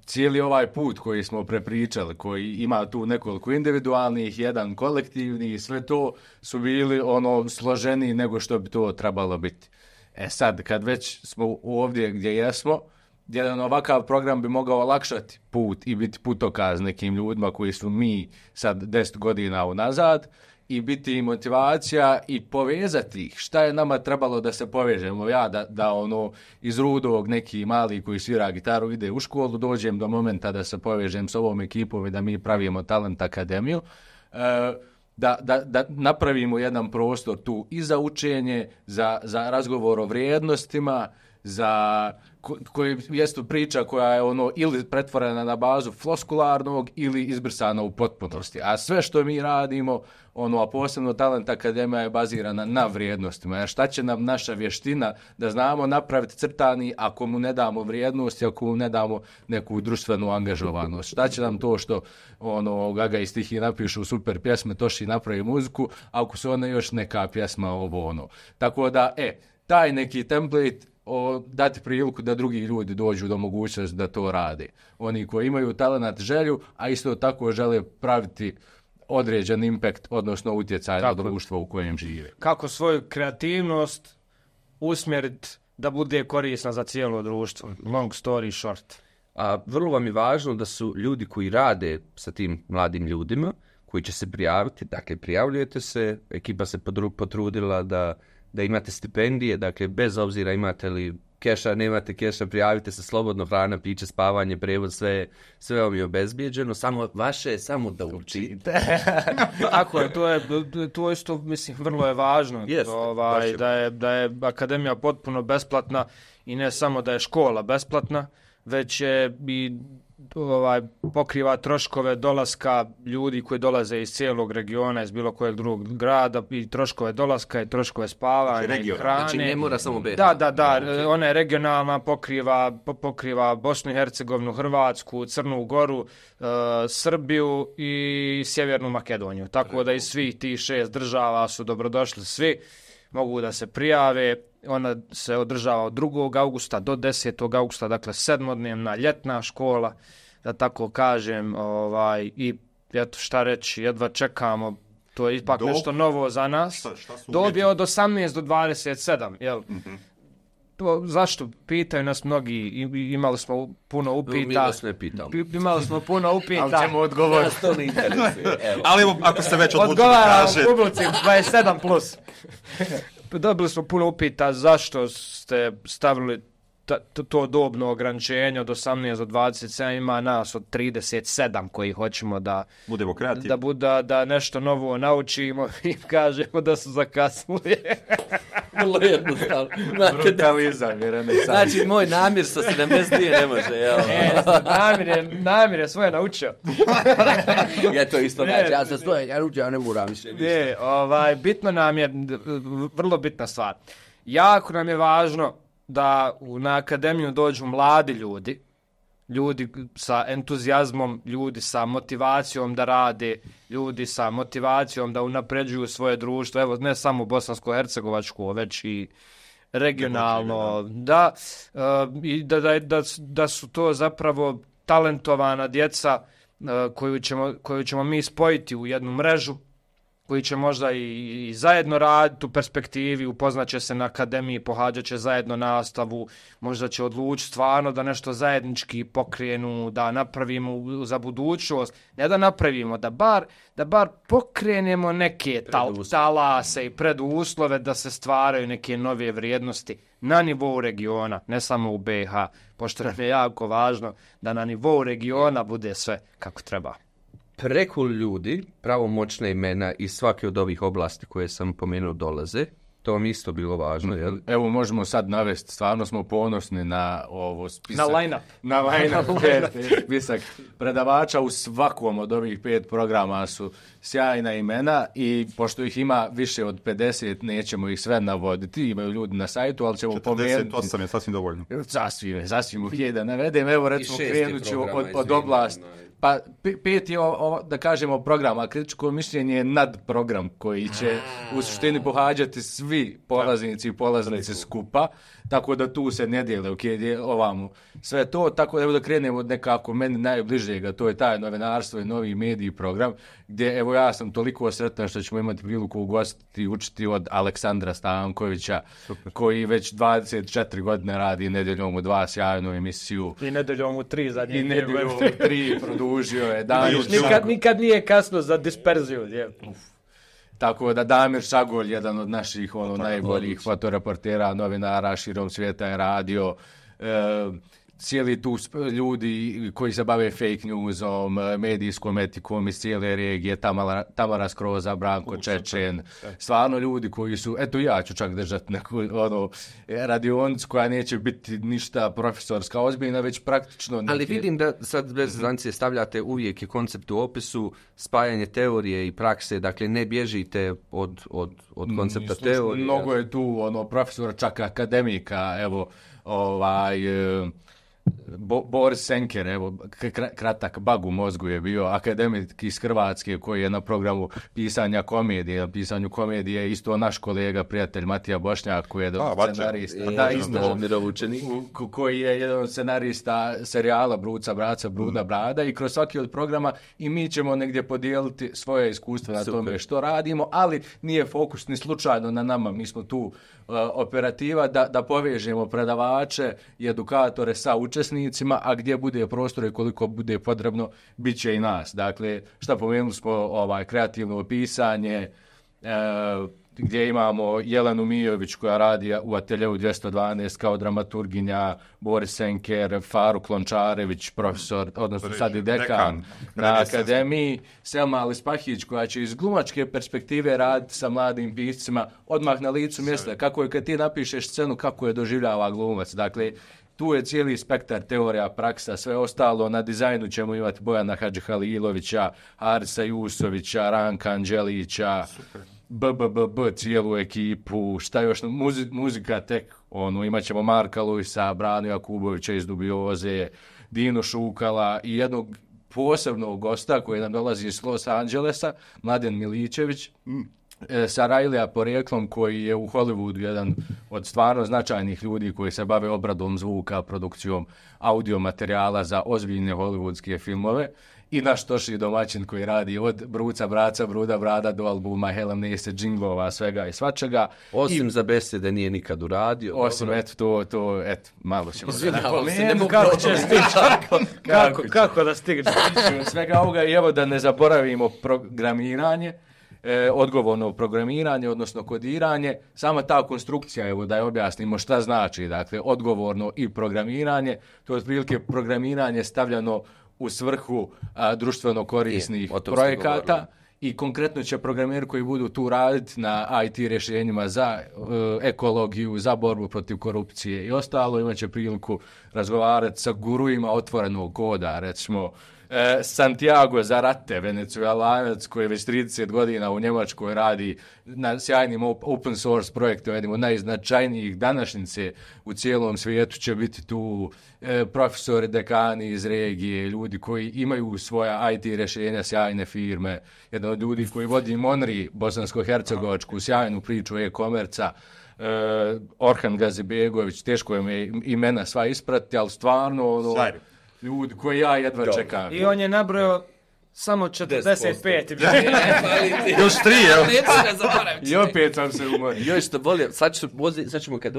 cijeli ovaj put koji smo prepričali, koji ima tu nekoliko individualnih, jedan kolektivni, sve to su bili ono složeniji nego što bi to trebalo biti. E sad, kad već smo ovdje gdje jesmo, jedan ovakav program bi mogao olakšati put i biti putokaz nekim ljudima koji su mi sad deset godina unazad, i biti i motivacija i povezati ih. Šta je nama trebalo da se povežemo? Ja da, da ono iz Rudog neki mali koji svira gitaru ide u školu, dođem do momenta da se povežem s ovom ekipom i da mi pravimo Talent Akademiju. E, da, da, da napravimo jedan prostor tu i za učenje, za, za razgovor o vrijednostima, za ko, koji jest priča koja je ono ili pretvorena na bazu floskularnog ili izbrisana u potpunosti. A sve što mi radimo, ono, a posebno Talent Akademija je bazirana na vrijednostima. Jer šta će nam naša vještina da znamo napraviti crtani ako mu ne damo vrijednosti, ako mu ne damo neku društvenu angažovanost? Šta će nam to što ono, Gaga i Stihi napišu super pjesme, Toši napravi muziku, ako su ona još neka pjesma ovo ono. Tako da, e, taj neki template o, dati priliku da drugi ljudi dođu do mogućnosti da to rade. Oni koji imaju talent, želju, a isto tako žele praviti određen impact, odnosno utjecaj Tako. na društvo u kojem žive. Kako svoju kreativnost usmjeriti da bude korisna za cijelo društvo. Long story short. A vrlo vam je važno da su ljudi koji rade sa tim mladim ljudima, koji će se prijaviti, dakle prijavljujete se, ekipa se podru, potrudila da, da imate stipendije, dakle bez obzira imate li keša, nemate keša, prijavite se slobodno, hrana, piće, spavanje, prevoz, sve, sve vam je obezbijeđeno, samo vaše je samo da učite. Tako je, to je, to isto, mislim, vrlo je važno, Jeste, ovaj, da, je, da je akademija potpuno besplatna i ne samo da je škola besplatna, već je i ovaj, pokriva troškove dolaska ljudi koji dolaze iz cijelog regiona, iz bilo kojeg drugog grada, i troškove dolaska, i troškove spavanja, Znači, i hrane. Znači ne mora samo B iH. Da, da, da, ona je regionalna, pokriva, po- pokriva Bosnu i Hercegovinu, Hrvatsku, Crnu Goru, uh, Srbiju i Sjevernu Makedoniju. Tako da iz svih tih šest država su dobrodošli svi, mogu da se prijave. Ona se održava od drugog augusta do desetog augusta, dakle sedmodnevna ljetna škola, da tako kažem, ovaj, i eto šta reći, jedva čekamo, to je ipak Dob? nešto novo za nas. Šta- šta su Dob uvjeti? je od osamnaest do dvadeset sedam, jel? Mhm. To, zašto? Pitaju nas mnogi, i- imali smo puno Mi upita. vas ne pitamo. Pi- Imali smo puno upita. Ali ćemo odgovoriti. Nas to ne interesuje. Evo. Ali evo, ako ste već odlučili Odgovaram kaže, publici dvadeset sedam plus. Dobili smo puno upita zašto ste stavili ta, to, to dobno ograničenje od osamnaest do dvadeset sedam, ima nas od trideset sedam koji hoćemo da, budemo kreativni. da, buda, da nešto novo naučimo i kažemo da su zakasnili. Vrlo jednostavno. Znate da- Brutalizam je renesans. Znači, moj namir sa sedamdeset dvije ne može, jel? E, namir, je, namir je svoje naučio. Ja to isto znači, ja sam svoje, ja ručio, ja ne moram više. Ne, ovaj, bitno nam je, vrlo bitna stvar. Jako nam je važno da u, na akademiju dođu mladi ljudi, ljudi sa entuzijazmom, ljudi sa motivacijom da rade, ljudi sa motivacijom da unapređuju svoje društvo, evo ne samo bosansko-hercegovačko, već i regionalno, da, uh, i da, da, da, da su to zapravo talentovana djeca uh, koju ćemo, koju ćemo mi spojiti u jednu mrežu, koji će možda i, i zajedno raditi u perspektivi, upoznaće se na akademiji, pohađat će zajedno nastavu, možda će odlučiti stvarno da nešto zajednički pokrenu, da napravimo u- za budućnost, ne da napravimo, da bar, da bar pokrenemo neke tal, Preduslove. talase i preduslove da se stvaraju neke nove vrijednosti na nivou regiona, ne samo u B iH, pošto nam je jako važno da na nivou regiona bude sve kako treba. Preko ljudi, pravomoćne imena iz svake od ovih oblasti koje sam pomenuo dolaze. To vam isto bilo važno, jel? Evo možemo sad navesti, stvarno smo ponosni na ovo spisak. Na line-up. Na line-up, pet, spisak predavača u svakom od ovih pet programa su sjajna imena i pošto ih ima više od pedeset, nećemo ih sve navoditi, imaju ljudi na sajtu, ali ćemo četrdeset pomenuti. osam je sasvim dovoljno. Sasvim, sasvim ih je da navedem. Evo recimo šest je krenut ću programa, od, od izvini, oblasti. onaj. Pa pe- pet je, o, o, da kažemo, program, a kritičko mišljenje je nadprogram koji će u suštini pohađati svi polaznici i polaznice skupa, tako da tu se ne dijele, ok, je ovamo sve to, tako da evo da krenemo od nekako meni najbližega, to je taj novinarstvo i novi mediji program, gdje evo ja sam toliko sretan što ćemo imati priliku ugostiti i učiti od Aleksandra Stankovića, koji već dvadeset četiri godine radi Nedjeljom u dva sjajnu emisiju. I nedeljom u tri zadnje. I Nedjeljom u tri produžio je Damir Nikad, nikad nije kasno za disperziju. Je. Tako da Damir Šagolj, jedan od naših ono, Fotoreportera. najboljih fotoreportera, novinara širom svijeta je radio. E, cijeli tu sp- ljudi koji se bave fake newsom, medijskom etikom iz cijele regije, Tamara, Tamara Skroza, Branko Čečen, stvarno ljudi koji su, eto ja ću čak držati neku ono, radionicu koja neće biti ništa profesorska ozbiljna, već praktično... Ali neke- vidim da sad bez zancije stavljate uvijek je koncept u opisu, spajanje teorije i prakse, dakle ne bježite od, od, od koncepta Slušaj, teorije. Mnogo je tu ono profesora, čak akademika, evo, ovaj, e, Bo, Boris Senker, evo, k- kratak bag u mozgu je bio, akademik iz Hrvatske koji je na programu pisanja komedije, na pisanju komedije isto naš kolega, prijatelj Matija Bošnjak koji je A, scenarista, e, da, isto, Mirovučeni. koji je jedan od scenarista serijala Bruca, Braca, Bruda, Brada i kroz svaki od programa i mi ćemo negdje podijeliti svoje iskustva na Super. tome što radimo, ali nije fokus ni slučajno na nama, mi smo tu uh, operativa da, da povežemo predavače i edukatore sa učesnicima, a gdje bude prostor i koliko bude potrebno, bit će i nas. Dakle, šta pomenuli smo, ovaj, kreativno pisanje, e, gdje imamo Jelenu Mijović koja radi u ateljeu dvjesto dvanaest kao dramaturginja, Boris Senker, Faruk Lončarević, profesor, odnosno sad i dekan, dekan na akademiji, Selma Alispahić koja će iz glumačke perspektive raditi sa mladim piscima odmah na licu mjesta. Kako je kad ti napišeš scenu, kako je doživljava glumac. Dakle, tu je cijeli spektar teorija, praksa, sve ostalo. Na dizajnu ćemo imati Bojana Hadžihalilovića, Arisa Jusovića, Ranka Anđelića, B B B B, cijelu ekipu, šta još, muzi, muzika tek, ono, imat ćemo Marka Luisa, Branu Jakubovića iz Dubioze, Dinu Šukala i jednog posebnog gosta koji nam dolazi iz Los Angelesa, Mladen Miličević, mm. sa Rajlija porijeklom koji je u Hollywoodu jedan od stvarno značajnih ljudi koji se bave obradom zvuka, produkcijom audio materijala za ozbiljne hollywoodske filmove. I naš Toši domaćin koji radi od Bruca, Braca, Bruda, Brada do albuma Helen Nese, džinglova, svega i svačega. Osim I, za besede nije nikad uradio. Osim, dobro. eto, to, to, eto, malo ćemo da napomenuti. Kako će stići? Kako, kako, kako da stigne? Svega ovoga i evo da ne zaboravimo programiranje, e, odgovorno programiranje, odnosno kodiranje. Sama ta konstrukcija, evo da je objasnimo šta znači, dakle, odgovorno i programiranje. To je otprilike programiranje stavljano u svrhu a, društveno korisnih je, projekata i konkretno će programeri koji budu tu raditi na I T rješenjima za uh, ekologiju, za borbu protiv korupcije i ostalo, imat će priliku razgovarati sa guruima otvorenog koda, recimo E, Santiago Zarate, venecuelanac koji već trideset godina u Njemačkoj radi na sjajnim open source projektu, jednim od najznačajnijih današnjice u cijelom svijetu, će biti tu e, profesori, dekani iz regije, ljudi koji imaju svoja I T rješenja, sjajne firme, jedan od ljudi koji vodi Monri, bosansko-hercegovačku, sjajnu priču e-komerca, e, Orhan Gazibegović, teško je me imena sva isprati, ali stvarno ono, ljudi koji ja jedva Dobre. čekam. I on je nabrojao samo četrdeset pet. Još tri, evo. I opet sam se umorio. Još što bolje, sad, ću, sad ćemo kad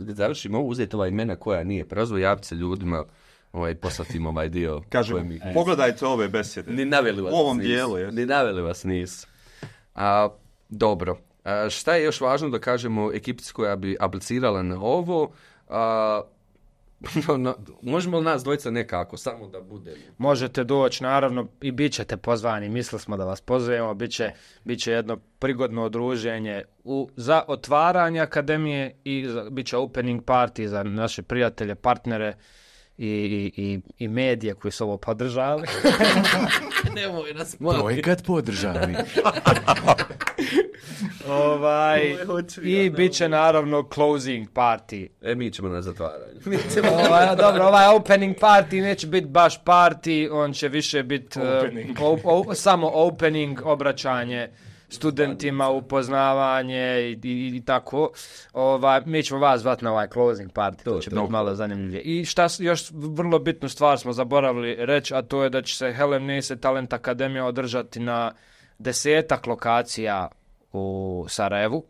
završimo uzeti ova imena koja nije prozvo, javiti se ljudima, ovaj, poslati im ovaj dio. Kažem, mi... pogledajte ove besede. Ni naveli vas u ovom nisu. dijelu. Je. Ni naveli vas nisu. A, dobro. A, šta je još važno da kažemo ekipici koja bi aplicirala na ovo? A, No, no, možemo li nas dvojica nekako, samo da bude? Možete doći, naravno, i bit ćete pozvani. Mislili smo da vas pozovemo, bit će, bit će jedno prigodno odruženje u, za otvaranje akademije i za, bit će opening party za naše prijatelje, partnere i, i, i, i medije koji su ovo podržali. Nemoj nas Projekat podržali. Ovaj, i bit će naravno closing party. E, mi ćemo na zatvaranju. ovaj, dobro, ovaj opening party neće biti baš party, on će više biti uh, o, o, samo opening, obraćanje studentima, upoznavanje i, i, i tako. Ovaj, mi ćemo vas zvati na ovaj closing party, to, to će biti malo zanimljivije. I šta još vrlo bitnu stvar smo zaboravili reći, a to je da će se Helen Nese Talent Akademija održati na desetak lokacija u Sarajevu.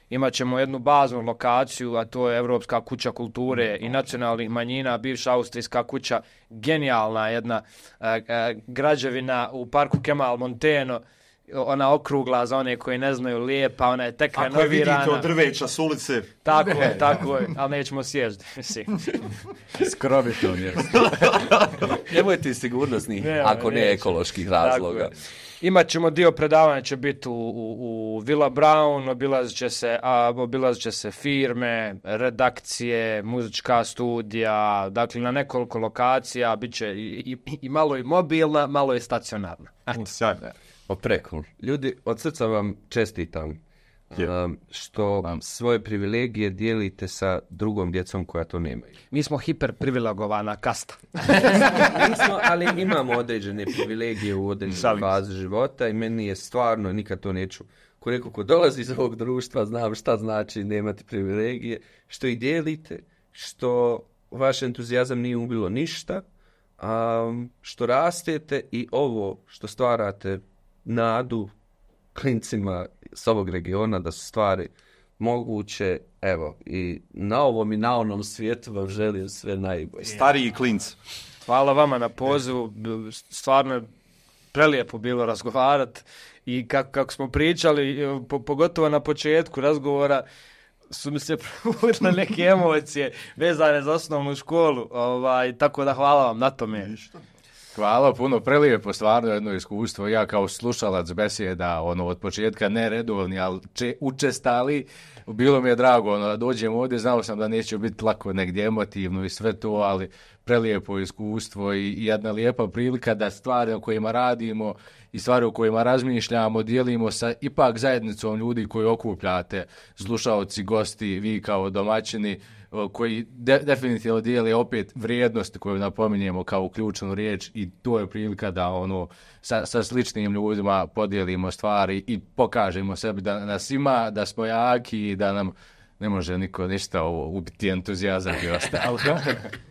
Imaćemo jednu baznu lokaciju, a to je Evropska kuća kulture i nacionalnih manjina, bivša austrijska kuća, genijalna jedna uh, uh, građevina u parku Kemal Monteno, ona okrugla za one koji ne znaju, lijepa, ona je tek renovirana. Ako je vidite od drveća s ulice. Tako je, tako je, ali nećemo sježiti. Skrovito je. Nemojte sigurnosnih, ne, ako ne, ne ekoloških razloga. Imaćemo dio predavanja, će biti u, u, u Villa Brown, obilazit će se, a, obilazit će se firme, redakcije, muzička studija, dakle na nekoliko lokacija, bit će i, i, i malo i mobilna, malo i stacionarna. Sjajno. O, preko. Ljudi, od srca vam čestitam. um, što svoje privilegije dijelite sa drugom djecom koja to nemaju. Mi smo hiperprivilegovana kasta. Nismo, ali imamo određene privilegije u određenoj fazi života i meni je stvarno, nikad to neću, ko neko ko dolazi iz ovog društva, znam šta znači nemati privilegije, što ih dijelite, što vaš entuzijazam nije ubilo ništa, um, što rastete i ovo što stvarate nadu klincima s ovog regiona da su stvari moguće, evo, i na ovom i na onom svijetu vam želim sve najbolje. Stariji klinci. Hvala vama na pozivu, stvarno je prelijepo bilo razgovarati i kako, kako smo pričali, po, pogotovo na početku razgovora, su mi se provudile neke emocije vezane za osnovnu školu, ovaj, tako da hvala vam na tome. Hvala puno, prelijepo, stvarno jedno iskustvo. Ja kao slušalac besjeda, ono, od početka ne redovni, ali če, učestali, bilo mi je drago, ono, da dođem ovdje, znao sam da neće biti lako negdje emotivno i sve to, ali prelijepo iskustvo i, i jedna lijepa prilika da stvari o kojima radimo i stvari o kojima razmišljamo dijelimo sa ipak zajednicom ljudi koji okupljate, slušaoci, gosti, vi kao domaćini, koji de, definitivno dijele opet vrijednosti koju napominjemo kao ključnu riječ i to je prilika da ono sa, sa sličnim ljudima podijelimo stvari i pokažemo sebi da nas ima, da smo jaki i da nam ne može niko ništa ovo ubiti entuzijazam i ostalo.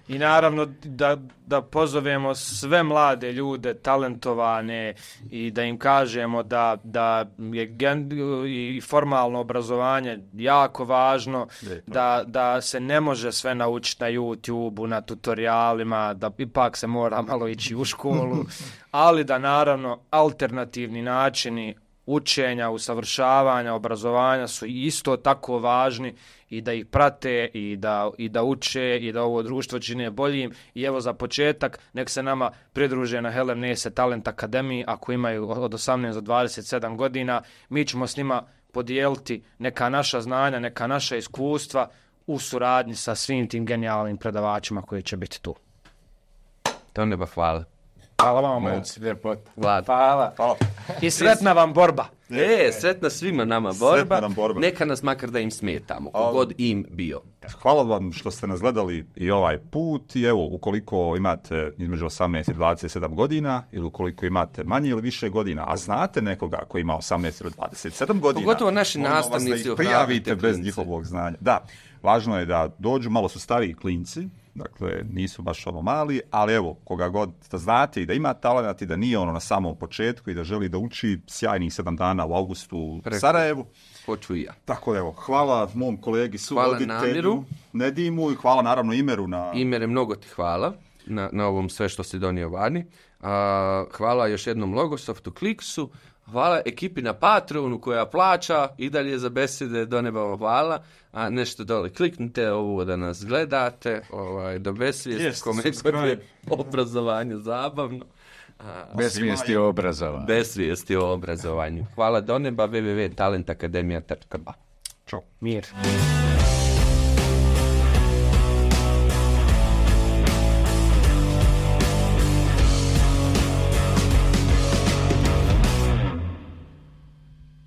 I naravno da, da pozovemo sve mlade ljude, talentovane i da im kažemo da, da je gen, i formalno obrazovanje jako važno, da, da se ne može sve naučiti na YouTube-u, na tutorialima, da ipak se mora malo ići u školu, ali da naravno alternativni načini učenja, usavršavanja, obrazovanja su isto tako važni i da ih prate i da, i da uče i da ovo društvo čine boljim. I evo za početak, nek se nama pridruže na Helem Nese Talent Akademiji ako imaju od osamnaest do dvadeset sedam godina. Mi ćemo s njima podijeliti neka naša znanja, neka naša iskustva u suradnji sa svim tim genijalnim predavačima koji će biti tu. To neba hvala. Hvala vam, momci. Vlad. Hvala. Hvala. I sretna vam borba. E, sretna svima nama borba. Nam borba. Neka nas makar da im smetamo, kogod im bio. Hvala vam što ste nas gledali i ovaj put i evo, ukoliko imate između osamnaest i dvadeset sedam godina ili ukoliko imate manje ili više godina, a znate nekoga koji ima osamnaest ili dvadeset sedam godina, pogotovo naši nastavnici, da prijavite bez njihovog znanja. Da, važno je da dođu, malo su stariji klinci, dakle nisu baš ono mali, ali evo, koga god da znate i da ima talent i da nije ono na samom početku i da želi da uči, sjajnih sedam dana u augustu u Preko. Sarajevu. Hoću i ja. Tako evo, hvala mom kolegi suvoditelju Nedimu i hvala naravno Imeru na... Imere, mnogo ti hvala na, na ovom sve što si donio vani. A, hvala još jednom Logosoftu, Kliksu. Hvala ekipi na Patreonu koja plaća i dalje za besede, do neba vam hvala. A nešto dole kliknite ovo da nas gledate, ovaj, do besvijesti, kome je obrazovanje zabavno. Bez svijesti o obrazovanju. Bez svijesti o obrazovanju. Hvala do neba, w w w tačka talent akademija tačka ba. Ćao. Mir.